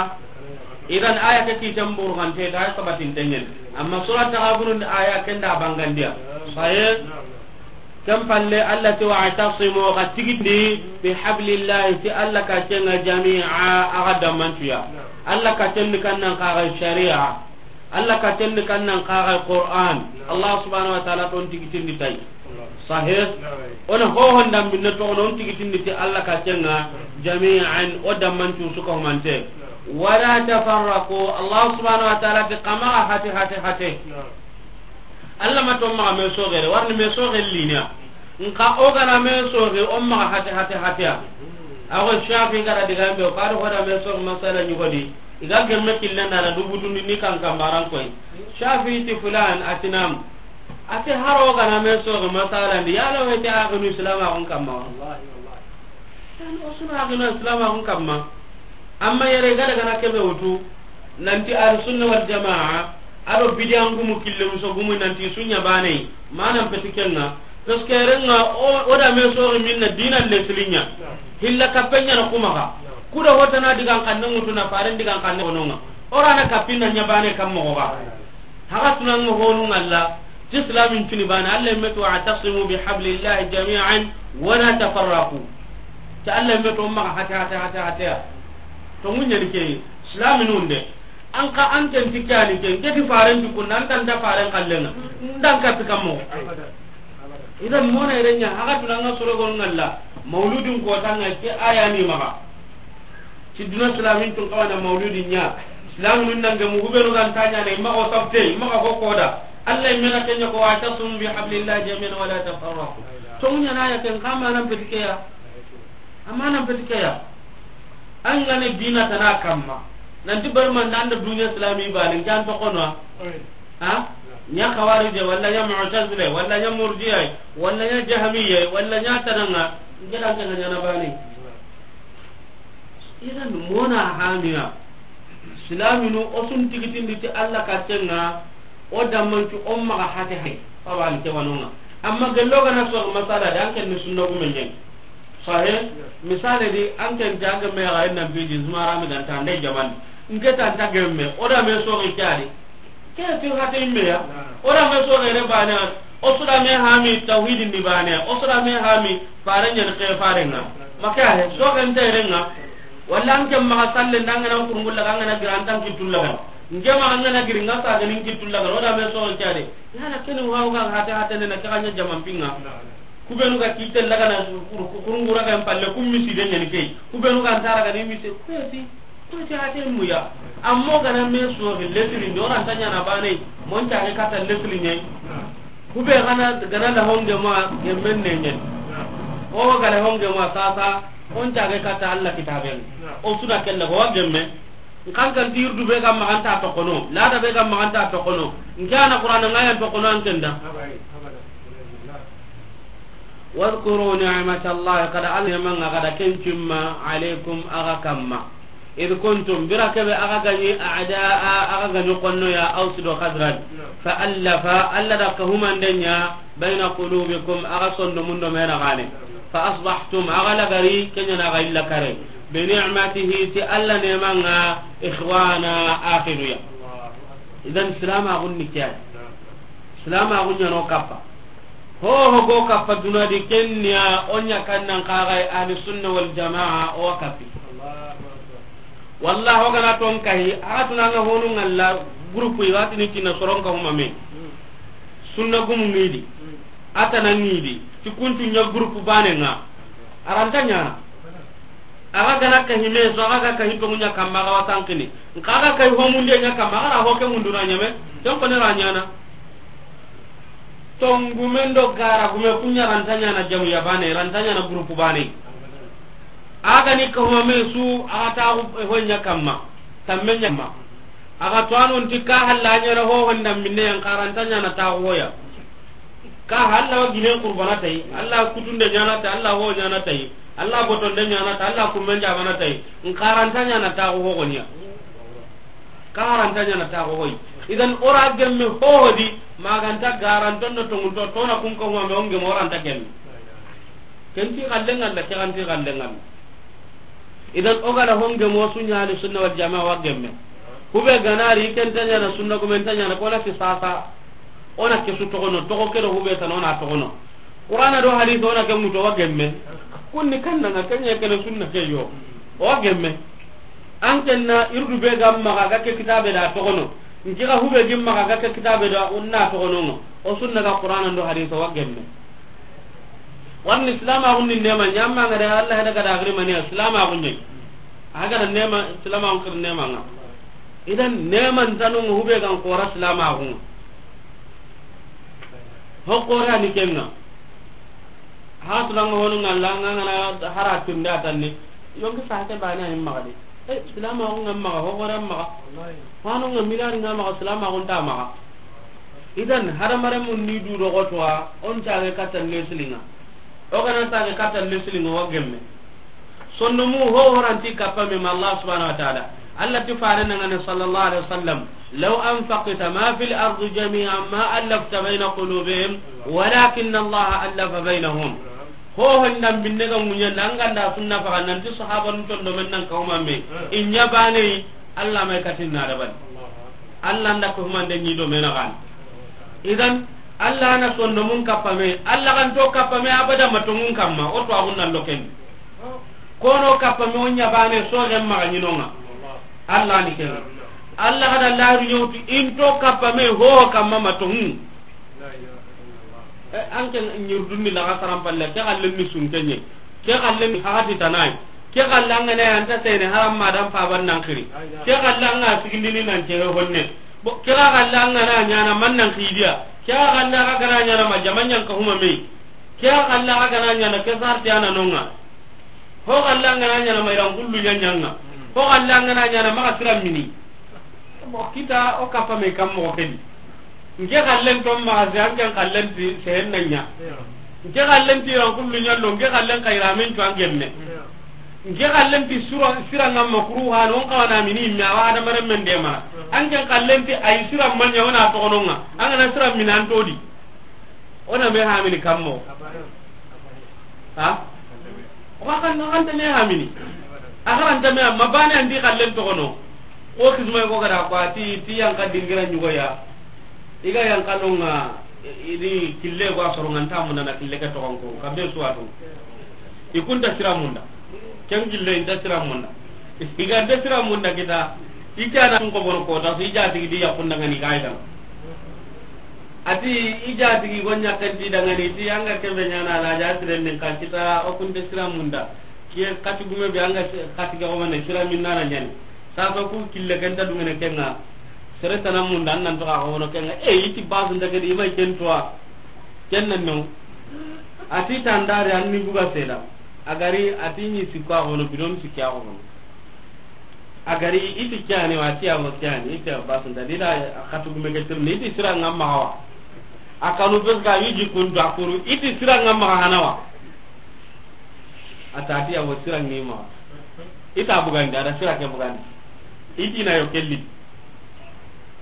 Idan aya ke kiten burun xante ta sabatin tenyen. Amma surat Taghabun aya ken da bangandiya. Sahih? Ken palle Alla ti, wa'tasimu, xa tigindi, bi hablillahi, ti Alla kaccen ŋa, jami'a, a ga damantuya. Alla kaccen ni kannan xa ga shari'a. Alla kaccen ni kannan xa ga Qur'an. Allah subhanahu wa ta'ala ton tigitindi tay. Sahih? Ona hohon dambinne to, on tigitindi ti Alla kaccen ŋa, jami'an, o damantu su ka humante. Wala tafarraqu, Allah subhanahu wa ta'ala ti xa maxa hate, hate, hate. Alla ma to maxa me soxere, warni me soxe lina. Nka o ga na me soxe, o maxa hate, hate, hate ya. A xo Shafi ga ra digambe, o ka do hoda me soxe masala ɲugodi. I ga gemme killen da na dubu dundi ni kan kambaran koy. Shafi ti fulan, a ti nam. A ti haro o ga na me soxe masala ndi, yala o hete a ganu Islam a xun kamma. Wallahi, wallahi. Yan o suna a ganu Islam a xun kamma. Amma yere ga daga na kebe wutu, nanti Ahlus Sunna wal Jamaa, A do bidiyan gumu kille muso gumu nanti su ɲa baane yi. Manan peti ken ŋa. Parce que ren ŋa o, o da me soxi minna dinan lesilinya. Hilla kapen ɲa na kuma xa. Kudo hotana digan xanne ŋutu na faren digan xanne kono ŋa. O ra na kapinna ɲa baane kam moxo ga. Haga tunan ŋa honu ŋa Alla. Ti islamin tuni baane, Alla yinme ti: "Wa'tasimu bihablillahi jami'an wa la tafarraqu." Ti Alla yinme ti o maxa hate, hate, hate, hate ya. To mun ɲa ni ke islaminun de. An ka an ken ti ke ya ni ke, n ke ti faren ti kunna, an ta nta faren xallen ŋa. N da n kapi kam moxo. Idan mona yere ɲa, haga tunan ŋa soro gonu ŋa Alla. Mauludun kota ŋa ke aya ni maxa. Ti duna silamin tun xawa na mauludi ɲa. Silaminun nan gemu, hubenu ga nta ɲaana, i maxa o sabte, i maxa o koda. Alla yinme na ken ɲa ko: "Wa'tasimu bihablillahi jami'an wa la tafarraqu." To mun ɲa na ya ken xa manan peti ke ya. A manan peti ke ya. An ga na dina tana kamma. Nanti barmanda an da duniya silami baane, n ke an toxono. Ha? Ɲa Xawarije, walla ɲa Mu'tazile, walla ɲa Murjiye, walla ɲa Jahmiye, walla ɲa tana ŋa, n ke da n ke ŋa ɲaana baane. Idan mona hamiya. Silaminu o sun tigitindi ti Alla katen ŋa, o da mancu o maxa hate hay. Fabali ke wano ŋa. Amma gello ga na so masala da an ken ni sunna gumen ɲa ni. Sahe, misale di, an ken ta gemme ya ga nan bidi zumara mi ganta nde jaman. N ke ta nta gemme, o da me soxi ke ya di. Ke ti hate yinme ya. O da me soxe re baane, o su da me hami tawhidin di baane, o su da me hami faren ɲa ni ke faren ŋa. Ma ke ya he, soxe nte ren ŋa. Walla an ke maxa salle nda an ga na kurungulla, an ga na gira an ta n kittulla ga. N ke maxa an ga na giri n ga sa ga ni n kittulla ga, o da me soxe ke ya di. Yala ken wa o ga hate hate ne na ke ga ɲa jaman pinŋa. Kubenu ga kite lagana kurungura ga palle, kum misi de ɲa ni ke. Kubenu ga ntara ga ni misi, kueti, kueti hate muya. Amma o ga na me soxi lesiri ndo ra nta ɲaana baane, mon ta ga kata lesiri ɲa. Kube ga na, ga na la honge ma gemmen ne ɲa. O ga la honge ma sasa, on ta ga kata Alla kitaben. O su da kella ko wa gemme. N kan kan ti yurdu be ga maxa an ta toxono, lada be ga maxa an ta toxono. N ke a na Qur'ana ŋa yan toxono an ken da. Wadhkuru ni'matallahi, xa da Alla neeman ŋa, xa da ken cimma, alaykum, axa kamma. Idh kuntum, bire ke be axa ga ɲi a'daa, axa ga ɲi xonno ya, Aws do Khazraj. Fa allafa, Alla da kahumande ɲa, bayna qulubikum, axa sondomun do me na gane. Fa asbahtum, axa lagari, ken ɲa na axa illa kare. Bi ni'matihi, ti Alla neeman ŋa, ikhwana, axinu ya. Idan silamaxun ni ke ya. Silamaxun ɲa no kappa. Ho ho go kappa duna di, ken ya o ɲa kan nan xa ga yi ahli sunna wal jamaa o wa kappi. Wallahi o ga na ton kahi, a tuna ŋa honu ŋa la groupe yi wa ti ni tina soron kahuma me. Sunna gumu ŋi di. A tana ŋi di. Ti kuntu ɲa groupe baane ŋa. A ra nta ɲaana. Axa ga na kahi me so, axa ga kahi tonŋu ɲa kamma, axa wa sankini. Nka axa ga kahi homunde ɲa kamma, axa ra ho ke munduna ɲeme, ken koni ra ɲaana. Tongumen do gara gume ku ɲa ra nta ɲaana jamu ya baane, ra nta ɲaana groupe baane. Axa ga ni kahuma me su, axa taaxu ho ɲa kamma, tamme ɲa kamma. Axa to a non ti ka halla ɲaana ho honda minne yan, ka ra nta ɲaana taaxu ho ya. Ka halla wa ginen qurbana tayi, Alla kutunde ɲaana tayi, Alla ho ɲaana tayi. Alla botonde ɲaana ta, Alla kummen jamana tayi, n xa ra nta ɲaana taaxu ho goniya. Ka ra nta ɲaana taaxu hoyi. Idan o ra gemme ho ho di, ma ga nta garanton do tonŋunto, to na kun ko ma me o n gemme o ra nta gemme. Ken ti xallen ŋa da, ke xa nti xallen ŋa da. Idan o ga da ho n gemme o su ɲa ahli sunna wal jamaa wa gemme. Kube ga na ri ken nta ɲaana sunna, gumen nta ɲaana, ko na ti sasa. O na ke su toxono, toxo ke do hube tana o na toxono. Qur'ana do hadisi o na ke ŋutu o wa gemme. Kunni kanna ŋa ke ɲa ke na sunna ke yo. O wa gemme. An ken na yurdu be ga maxa ga ke kitabe da toxono. N ke ga hube gi maxa ga ke kitabe da o na toxono ŋa. O sunna ga Qur'ana do hadisi o wa gemme. Warni silamaxun ni neema ɲa, amma ŋa da Alla heda ga da giri mani silamaxun ɲa. A ga da neema, silamaxun kir neema ŋa. Idan neeman tanu ŋa hube ga n xoora silamaxun ŋa. Ho xoora ni ken ŋa. Ha tuna ŋa honu ŋa la ŋa ŋa na hara tunda tanni. Yonki sahate baane a yi maxa de. E, silamaxun ŋa maxa, ho xoora maxa. Hanu ŋa milari ŋa maxa, silamaxun ta maxa. Idan hadamaren mun ni du do xotowa, o n caage katta lesili ŋa. O ga na caage katta lesili ŋa, o wa gemme. Sondomu ho ho ra nti kappa me ma Allah subhanahu wa ta'ala. Allah ti fare na ŋa ne sallallahu alaihi wasallam, "Law anfaqta ma fil ardi jami'an ma allafta bayna qulubihim, walakinna Allah allafa baynahum." Ho honda binne ga munya nan ganda sunna faga nan ti sahabanun ton do men nan kawma me. Inya bane Allah mai katin na da ban. Allah nda ko humande ni do men ga. Idan Allah na sonno mun kapame, Allah kan to kapame abada matongun kamma, o to agun nan loken. Kono kappa me o ɲa bane so gen maxa ɲinonga. Allah ni ken. Allah gada lahiru ɲewtu into kappa me ho kamma matongu. Eh, an ken ɲirdunni laga sarampalle, ke xallen ni sunkenɲe. Ke xallen ni hagati tanai. Ke xallen ngana anta sene haram madan paban nan xiri. Ke xallen nga sigindini nan cere honne. Bo ke xallen ngana ɲana man nan xidiya. Ke xallen ga gana ɲana ma jamanɲan ka huma me. Ke xallen ga gana ɲana ke sarti ana nonga. Ho xalla ngana ɲana ma iran kullu ɲaɲanga. Ho xalla ngana ɲana maxa siran mini. Mo kita o kappa me kam mo kedi. Nke xallen to maxa se anken xallen ti sehen na ɲa. Nke xallen ti iran kullu ɲallo, nke xallen ka iramen to angemme. Nke xallen ti sura sira ngam makruha non kawana mini me awa adamaren men de mara. Anken xallen ti ay siran manya wana to gononga. Angana siran minan todi. Ona me hamini kammo. Ha? O ka kan, o kan ta me hamini. A karanta me amma bane andi xallen toxono. O kismay ko gada ko ati ti yanka dingira ɲugoya. Iga yanka nonga, i-, ini kille ko a soronga nta munda na kille ke toxon ko. Kambe suwatu. I kunta sira munda. Ken kille inta sira munda. Iga nta sira munda kita. I kana ko bono ko ta, so i jatigi di yakunda ngani ga idan. Ati i jatigi go ɲakkanti dangani ti anga kebe ɲana la ja siren din ka kita o kunte sira munda. Kiye kati gume be anga si-, kati ga o mane sira min nana ɲani. Sa so ku kille kenta dungene kenga. Sere tana munda an nan to ka hono kenga. E iti basu ndagadi imay kentoa. Ken nan no. Ati tandare anni buga seda. Agari ati ni sikko a hono bidon sikki a hono. Agari iti kyani wa ti amo kyani iti basun da dida khatu gume ke tirni iti sira ngam maxa wa. Akanu bes ga yiji kun da kuru iti sira ngam maxa hanawa. Atati amo sira ngi maxa. Ita bugandi ada sira ke bugandi. Iti na yo kelli.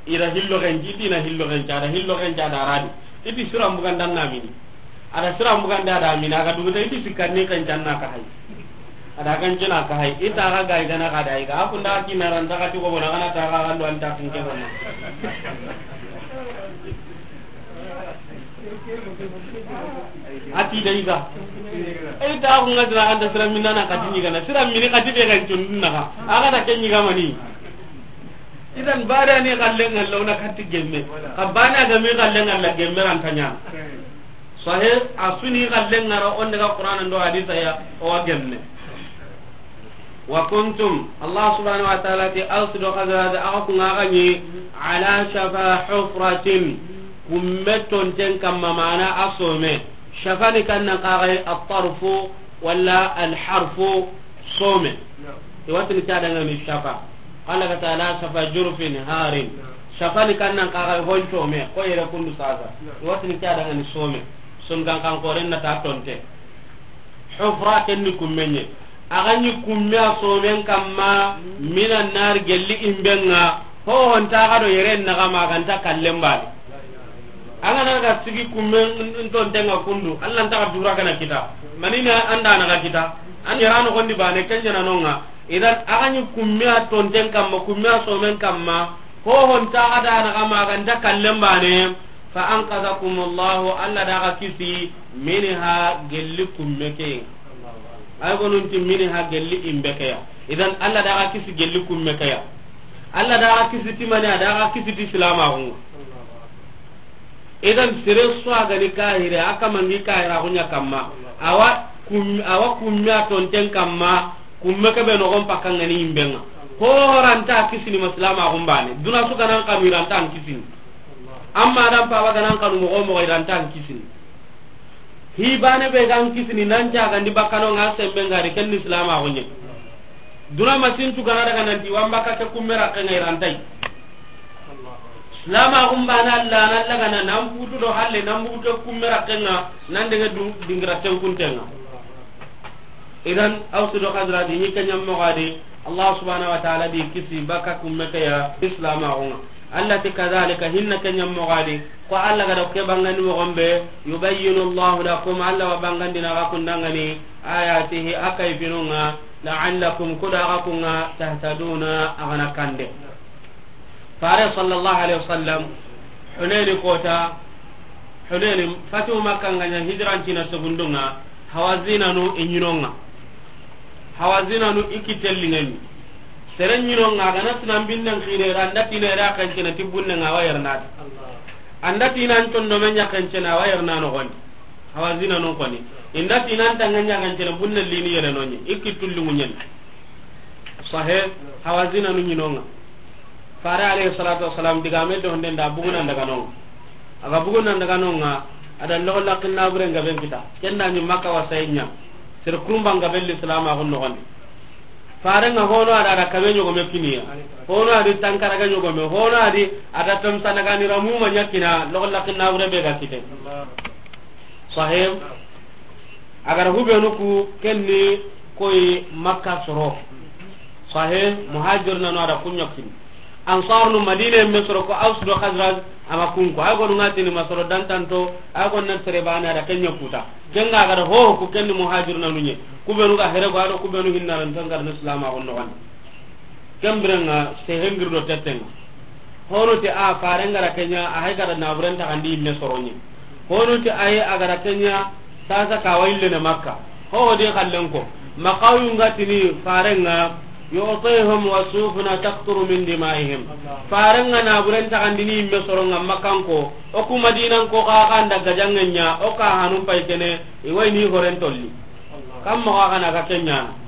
Ida hillo genji, iti na hillo genji, ada hillo genji, ada radi. Iti sura mbugan dan na mini. Ada sura mbugan da, ada mini, aga duguta iti sikkanni genji anna ka hay. Ada genji na ka hay. Ita ga ga igana ga da iga. Akunda kina ran daga ti ko bona kana ta ga gando anta kinke bona. Ati da iga. Ita ko ngadra anda sura minana kati ni gana. Sura mini kati de genji naga. Aga da kenyi ga mani. Idan bada ni xallen ŋalla o na katti gemme. Xa bana ga mi xallen ŋalla gemme ran ta ɲa. Sahih, a su ni xallen ŋara o n daga Qur'ana ndo hadisa ya o wa gemme. Wa kuntum, Allah subhanahu wa ta'ala ti Aws do Khazraj, axa ku ŋa ga ni ala shafa hufratin, kumme tonten kamma mana a some. Shafa ni kan nan xa ga at-tarfu wala al-harfu some. I wa tini ke a danŋa ni shafa. Qala ka ta'ala shafa jurfin harin. Shafa ni kan nan xa ga honco me, ko yere kundu sasa. I wa tini ke a danŋa ni some. Sun kan kan koren na ta tonte. Hufra ken ni kummenye. A ga ni kumme a somen kamma, minan nar gelli imbenga. Ho honta ga do yere na ga ma ganta kallen bali. An ga na ga sigi kumme n-, n-, tonten ŋa kundu, Allah nta ga dura kana kita. Manina anda na ga kita. An yara no gondi bane, ken ɲa na nonga. Idan, a ga ni kumme a tonten kamma, kumme a somen kamma, ho honta ga da na ga ma ganta kallen bane, fa anqadhakumullahu, Allah da ga kisi, minha, gelli kumme ke. Ay gonun ti minha gelli imbe ke ya. Idan, Allah da ga kisi gelli kumme ke ya. Allah da ga kisi ti mani, a da ga kisi ti silamaxu. Idan sere su a ga ni kahire, a kamangi kahira kunya kamma. Awa kum-, awa kumme a tonten kamma, kumme ke be nogon pakka ŋa ni imbenga. Ho ranta kisini maslama gumbane. Duna su ganan kanu ranta an kisini. Amma dan paba ganan kanu mogo mogo ranta an kisini. Hi bane be gan kisini nan ca gandi bakkano ŋa sembe ngari ken ni silamaxu ɲe. Duna masintu gana daga nanti wamba ka ke kumme rakke ŋa irantai. Silamaxu mbana Allah na Allah gana nan putu do halle nan butu kumme rakke ŋa nan dege du-, dingira tenkuntenga. Idan Aws do Khazraj ni kanyam mo gadi. Allah subhanahu wa ta'ala di kisi baka kumme ke ya Islam a gonga. Allah ti kadhalika hinna kenya mogadi. Ko Allah ga da ke bangani mo gombe, yubayyinu Allahu lakum, Allah wa bangandina ga kundangani, ayatihi, a kayfinunga, la'allakum, kuda ga kunga, tahtaduna, a gana kande. Fare sallallahu alaihi wasallam, Hunaini kota, Hunaini, fatu Makka nganya hijran tina segundunga, Hawazinanu i ɲinonga. Hawazinanu i kitellingani. Sere ɲinonga, gana sinan binnan xire, anda tina ira kancena ti bunne nga wa yarnati. Anda tina an tondo men ɲa kancena wa yarna no gondi. Hawazinanu koni. Inda tina an tanga ɲa kancena bunne lini yere nonye. I kitulli munyen. Sahe, Hawazinanu ɲinonga. Fare alayhi salatu wassalam, digame do honden da bugunan daga nonga. Aga bugunan daga nonga, ada logo lakin nabure nga ben kita. Kenda ni Makka wasaynya. Sir kurumba nga belli salama gon no gondi. Fare nga hono ada ada kabe nyogo me kiniya. Hono adi tankara ga nyogo me. Hono adi ada tam sanaga ni ramu ma nyakina logo lakin nabure be ga kite. Sahib. Agar hubenu ku kenni koy Makka soro. Sahib, muhajirna no ada kunyokin. Ansar nu Madina me soro ko Aus do Khazraj ama kunko. Ay gonu ngatini masoro dantanto, ay gonu nan tere bana da kenya kuta. Kenga ga da ho ku kenni muhajirna nunye. Kubenu ga here go ado kubenu hinna ran tangar no Islam a gonno gandi. Kembrenga se hengir do tetenga. Hono te a farenga ra kenya a hay ga da naburen ta kandi me soronye. Hono te ay aga ra kenya sasa ka waille ne Makka. Ho de kallen ko. Makayu ngatini farenga. Yu'tihim wa sufuna taqturu min dima'ihim. Farenga naburen ta kandini me soronga makanko. O ku Madinan ko ka kanda gajangenya o ka hanum pay kene. Iwai ni horen tolli. Kam mo ka kana ka kenyana.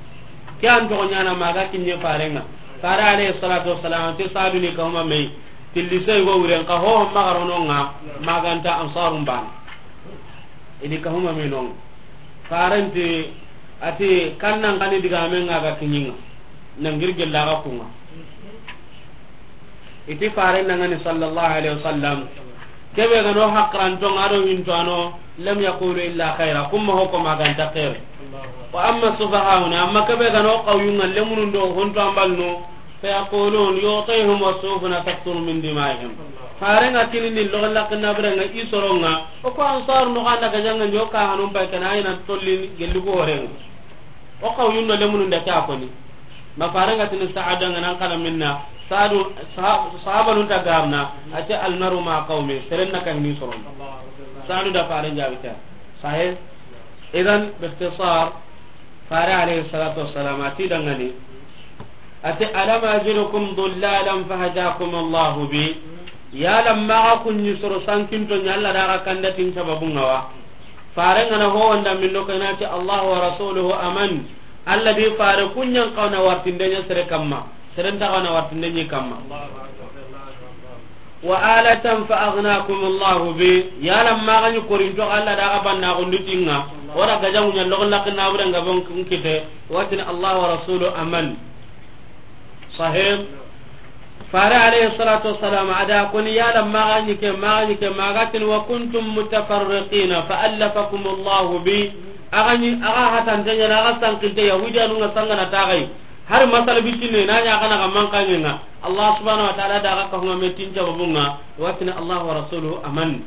Ke an to nyana maga kinye farenga. Fare alayhi salatu wassalam ti Sadu ni ka huma me. Tilli sey go wuren ka ho maga rononga maganta Ansarum ban. Ini ka huma me non. Farenti ati kannan kani diga men nga ga kinyinga. Nangir gella ga kunga. Iti fare nangani sallallahu alaihi wasallam. Kebe gano hakran to ngado hinto ano lam yaqulu illa khaira. Kumma hoko maganta khair. Wa amma sufahuna, amma kebe gano qawyunga lemunun do honto ambalno. Fa yaqulun yu'tihim wa sufuna taqturu min dima'ihim. Farenga tinini logo lakna brenga isoronga. O ko Ansar no ganda gajanga nyoka hanum pay kana ina tollin gellugo horenga. O qawyun no lemunun da ta koni. Ma farenga tini Sa'ada nga nan kana minna. Sa'adu, saha-, sahaba nun ta garna. Ati almaru ma qawmi. Serenna kan ni soron. Sa'adu da faren jabita. Sahih. Idan, bi ikhtisar, fare alayhi salatu wassalam, ati dangani. Ati, "Alam ajidukum dhullalan fahadakum Allahu bi." Yala maga kunni soro sankinto nya Allah daga kandatin sababun ngawa. Fare ngana ho wanda min do kanati Allah wa rasuluhu aman. Allah di fare kunyan kauna wartindenya sere kamma. Sere nta kauna wartindenya kamma. Wa alatan fa aghnakum Allahu bi. Yala magani korinto Allah daga banna gundutinga. Ora gajamu nya logon lakin nabure nga bon kite. Watin Allah wa rasulu aman. Sahib. Fare alayhi salatu wassalam ada koni yala magani ke, magani ke, magatin wa kuntum mutafarriqina fa allafakum Allahu bi. Agani, aga hatan tanya na aga sankinte Yahudi anu nga sangana tagai. Har masala bitine na nya kana ga mankanye nga. Allah subhanahu wa ta'ala da ga ka huma metin jawabunga. Watin Allah wa rasuluhu aman.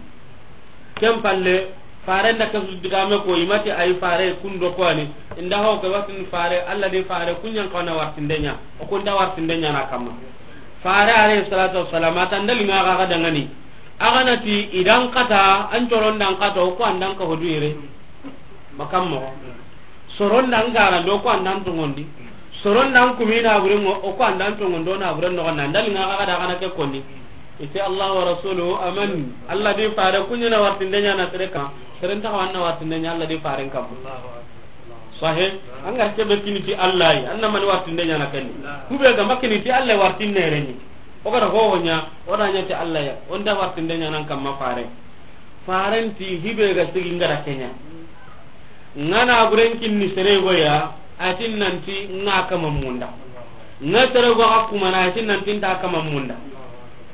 Ken palle, fare nda kasu digame ko imati ay fare kundo ko ani. Inda ho ke watin fare, Allah de fare kunyan kauna wartindenya. O kunda wartindenya na kama. Fare alayhi salatu wassalam, ata ndali nga ga dangani. Aganati idan kata, an coron dan kata, o ko andan ka hodu ire. Makammo. Soron dan gara do ko andan tongondi. Soron dan kumina bure mo, o ko andan tongondo na bure no na ndali nga ga da kana ke konni. Ite Allah wa rasuluhu aman. Allah di fare kunyana wartindenya na sere ka. Sere nta wanna wartindenya Allah di faren kam. Sahih. Angar ke be kiniti Allah yi. Anna man wartindenya na kenni. Kube ga makiniti Allah wartinne reni. O ga ho nya, o da nya ti Allah ya. Onda wartindenya nan kam ma fare. Farenti hibe ga sigi ngara kenya. Ngana buren kinni sere goya, atin nanti nga kama munda. Nga sere go ga kuma na atin nanti nta kama munda.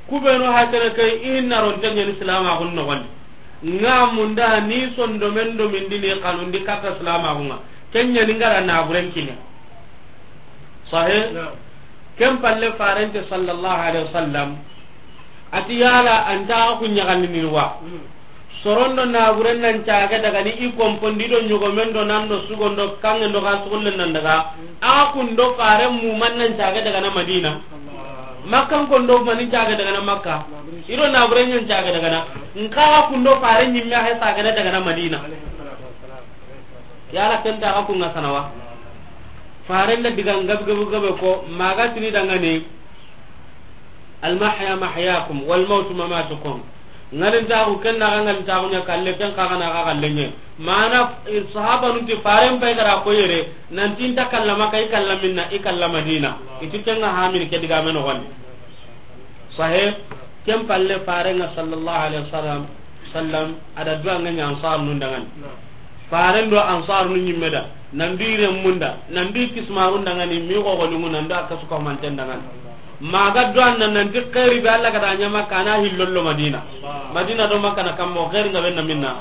Kubenu hasere kai inna ron tanya ni salama gun no gon. Nga munda ni sondo men do min dini kanundi kata salama gunga. Kenya ni ngara na buren kinni. Sahih. Ken palle farente sallallahu alaihi wasallam a ti, yala an ta ku ɲaxandini wa? Sorondo naburen nan caage daga ni i kompondi do ɲogomen do nan do sugon do kangen do ga sugullen nan daga. A kun do faren muman nan caage daga na Madina. Makkan kon do mani caage daga na Makka. I do naburen ɲan caage daga na. Nka a kun do faren ɲimme a he saage daga na Madina. Yala ken ta a kun ga sanawa? Faren da diga gabe gabe gabe ko maga tini dangani. Al mahya mahyakum wal mautu mamatukum. Ngalintaxu ken naxa ngalintaxu ɲa kalle, ken kaxa naxa xallenɲe. Mana sahabanun ti faren pay gara ko yere nanti nta kalla Makka, i kalla minna? I kalla Madina. I ti ken ga hamini ke digame noxondi. Sahih. Ken palle farenga sallallahu alaihi wasallam, sallam, ada duwa nga ɲa ansar nun dangani. Faren do ansar nun ɲimme da, nan du i remmun da, nan du i kismarun dangani, mi gogo lungu nan du a kasu ko manten dangani. Maga duwan nan nan di xeeri be Allah gada ɲama kana hillollo Madina. Madina do Makka na kammo xeeri nga benna minna.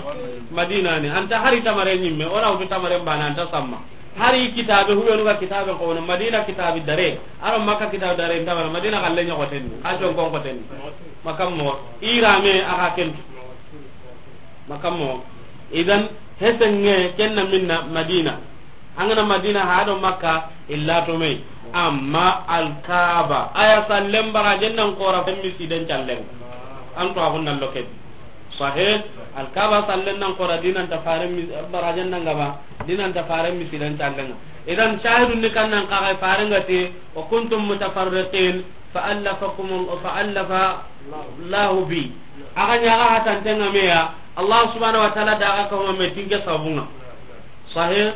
Madina ni anta hari tamare ɲimme, ona wutu tamare bana anta samma. Hari kitabe hubenu ga kitabe ko no Madina kitabe dare, aro Makka kitabe dare, nda Madina galle ɲa ko tenni, a jon kon ko tenni. Makka mo irame aga ken. Makka mo. Idan hesenge kenna minna Madina. Angana Madina ha do Makka illa to me. Amma Alkaaba aya sallen barajen nan kora femmi siden callen. An to agun nan loke. Sahih. Alkaaba sallen nan kora dinan ta faren mi barajen nan gaba dinan ta faren mi sidan callen. Idan shahidun ni kan nan kaga faren ga te, wa kuntum mutafarriqin fa allafakum, fa allafa Allahu bi. Aga ɲaga hatanten ga me ya, Allah subhanahu wa ta'ala da aga ka huma me tinke sabunga. Sahih.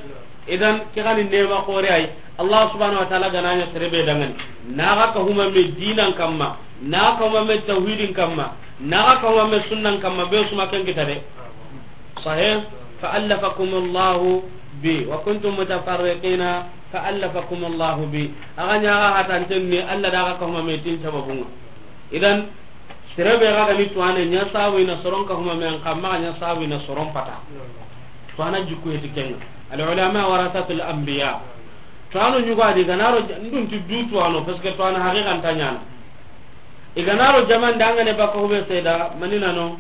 Idan ke gani nema kore ay. Allah subhanahu wa ta'ala gana ɲa sere be dangani, naga ka huma me dinan kamma, naga ka huma me tawhidin kamma, naga ka huma me sunnan kamma, be suma ken kita de. Sahih. Fa allafakum Allahu bi wa kuntum mutafarriqina fa allafakum Allahu bi. Aga ɲaga hatanten ni Allah da aga ka huma me tin sababunga. Idan sere be ga ni tuwane ɲa sabu ina soron ka huma me an kamma ɲa sabu ina soron pata. Tuwana jikku heti kenga. Al ulama warasatul anbiya. Tuwano ɲugo a di ganaro ndun ti du tuwano parce que tuwana haqiqan ta ɲana. I ganaro jaman dangane baka hube seda manina no.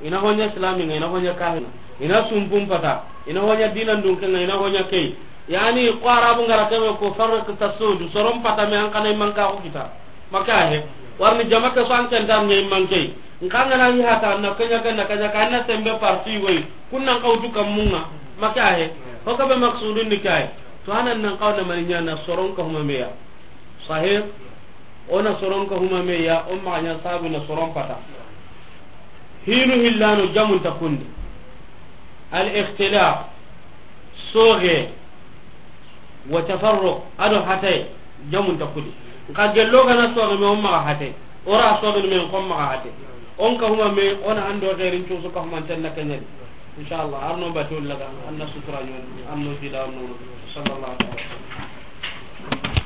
Ina honya islami nga, ina honya kahina, ina sumpum pata, ina honya dinan dunkenga, ina honya kei. Yani ko arabu ngara kebe ko farq tasud, soron pata me an kana imanka ko kita. Maka he. Warni jamaka so an kan tan ngai manke. Nkanga na yi hata na kanya kan na kanya kan na sembe parti goy. Kunnan kawtu kamunga. Maka he. Ko kabe maksudun ni kai. Tuwanan nan kawna maninya na soron ka huma meya. Sahih. Ona soron ka huma meya, o maxa ɲa sabu na soron pata. Hinu hillano jamun ta kundi. Al ikhtilaf, soge, wa tafarruq, ado hatay, jamun ta kudi. Nka gello gana soge me, o maxa hatay. Ora soge me, ko maxa hatay. On ka huma me, ona ando gerin cusu ka huma tanna kenyadi. Inshallah, arno batul laga, anna sutura nyon, arno jida, arno. Sallallahu alaihi wasallam.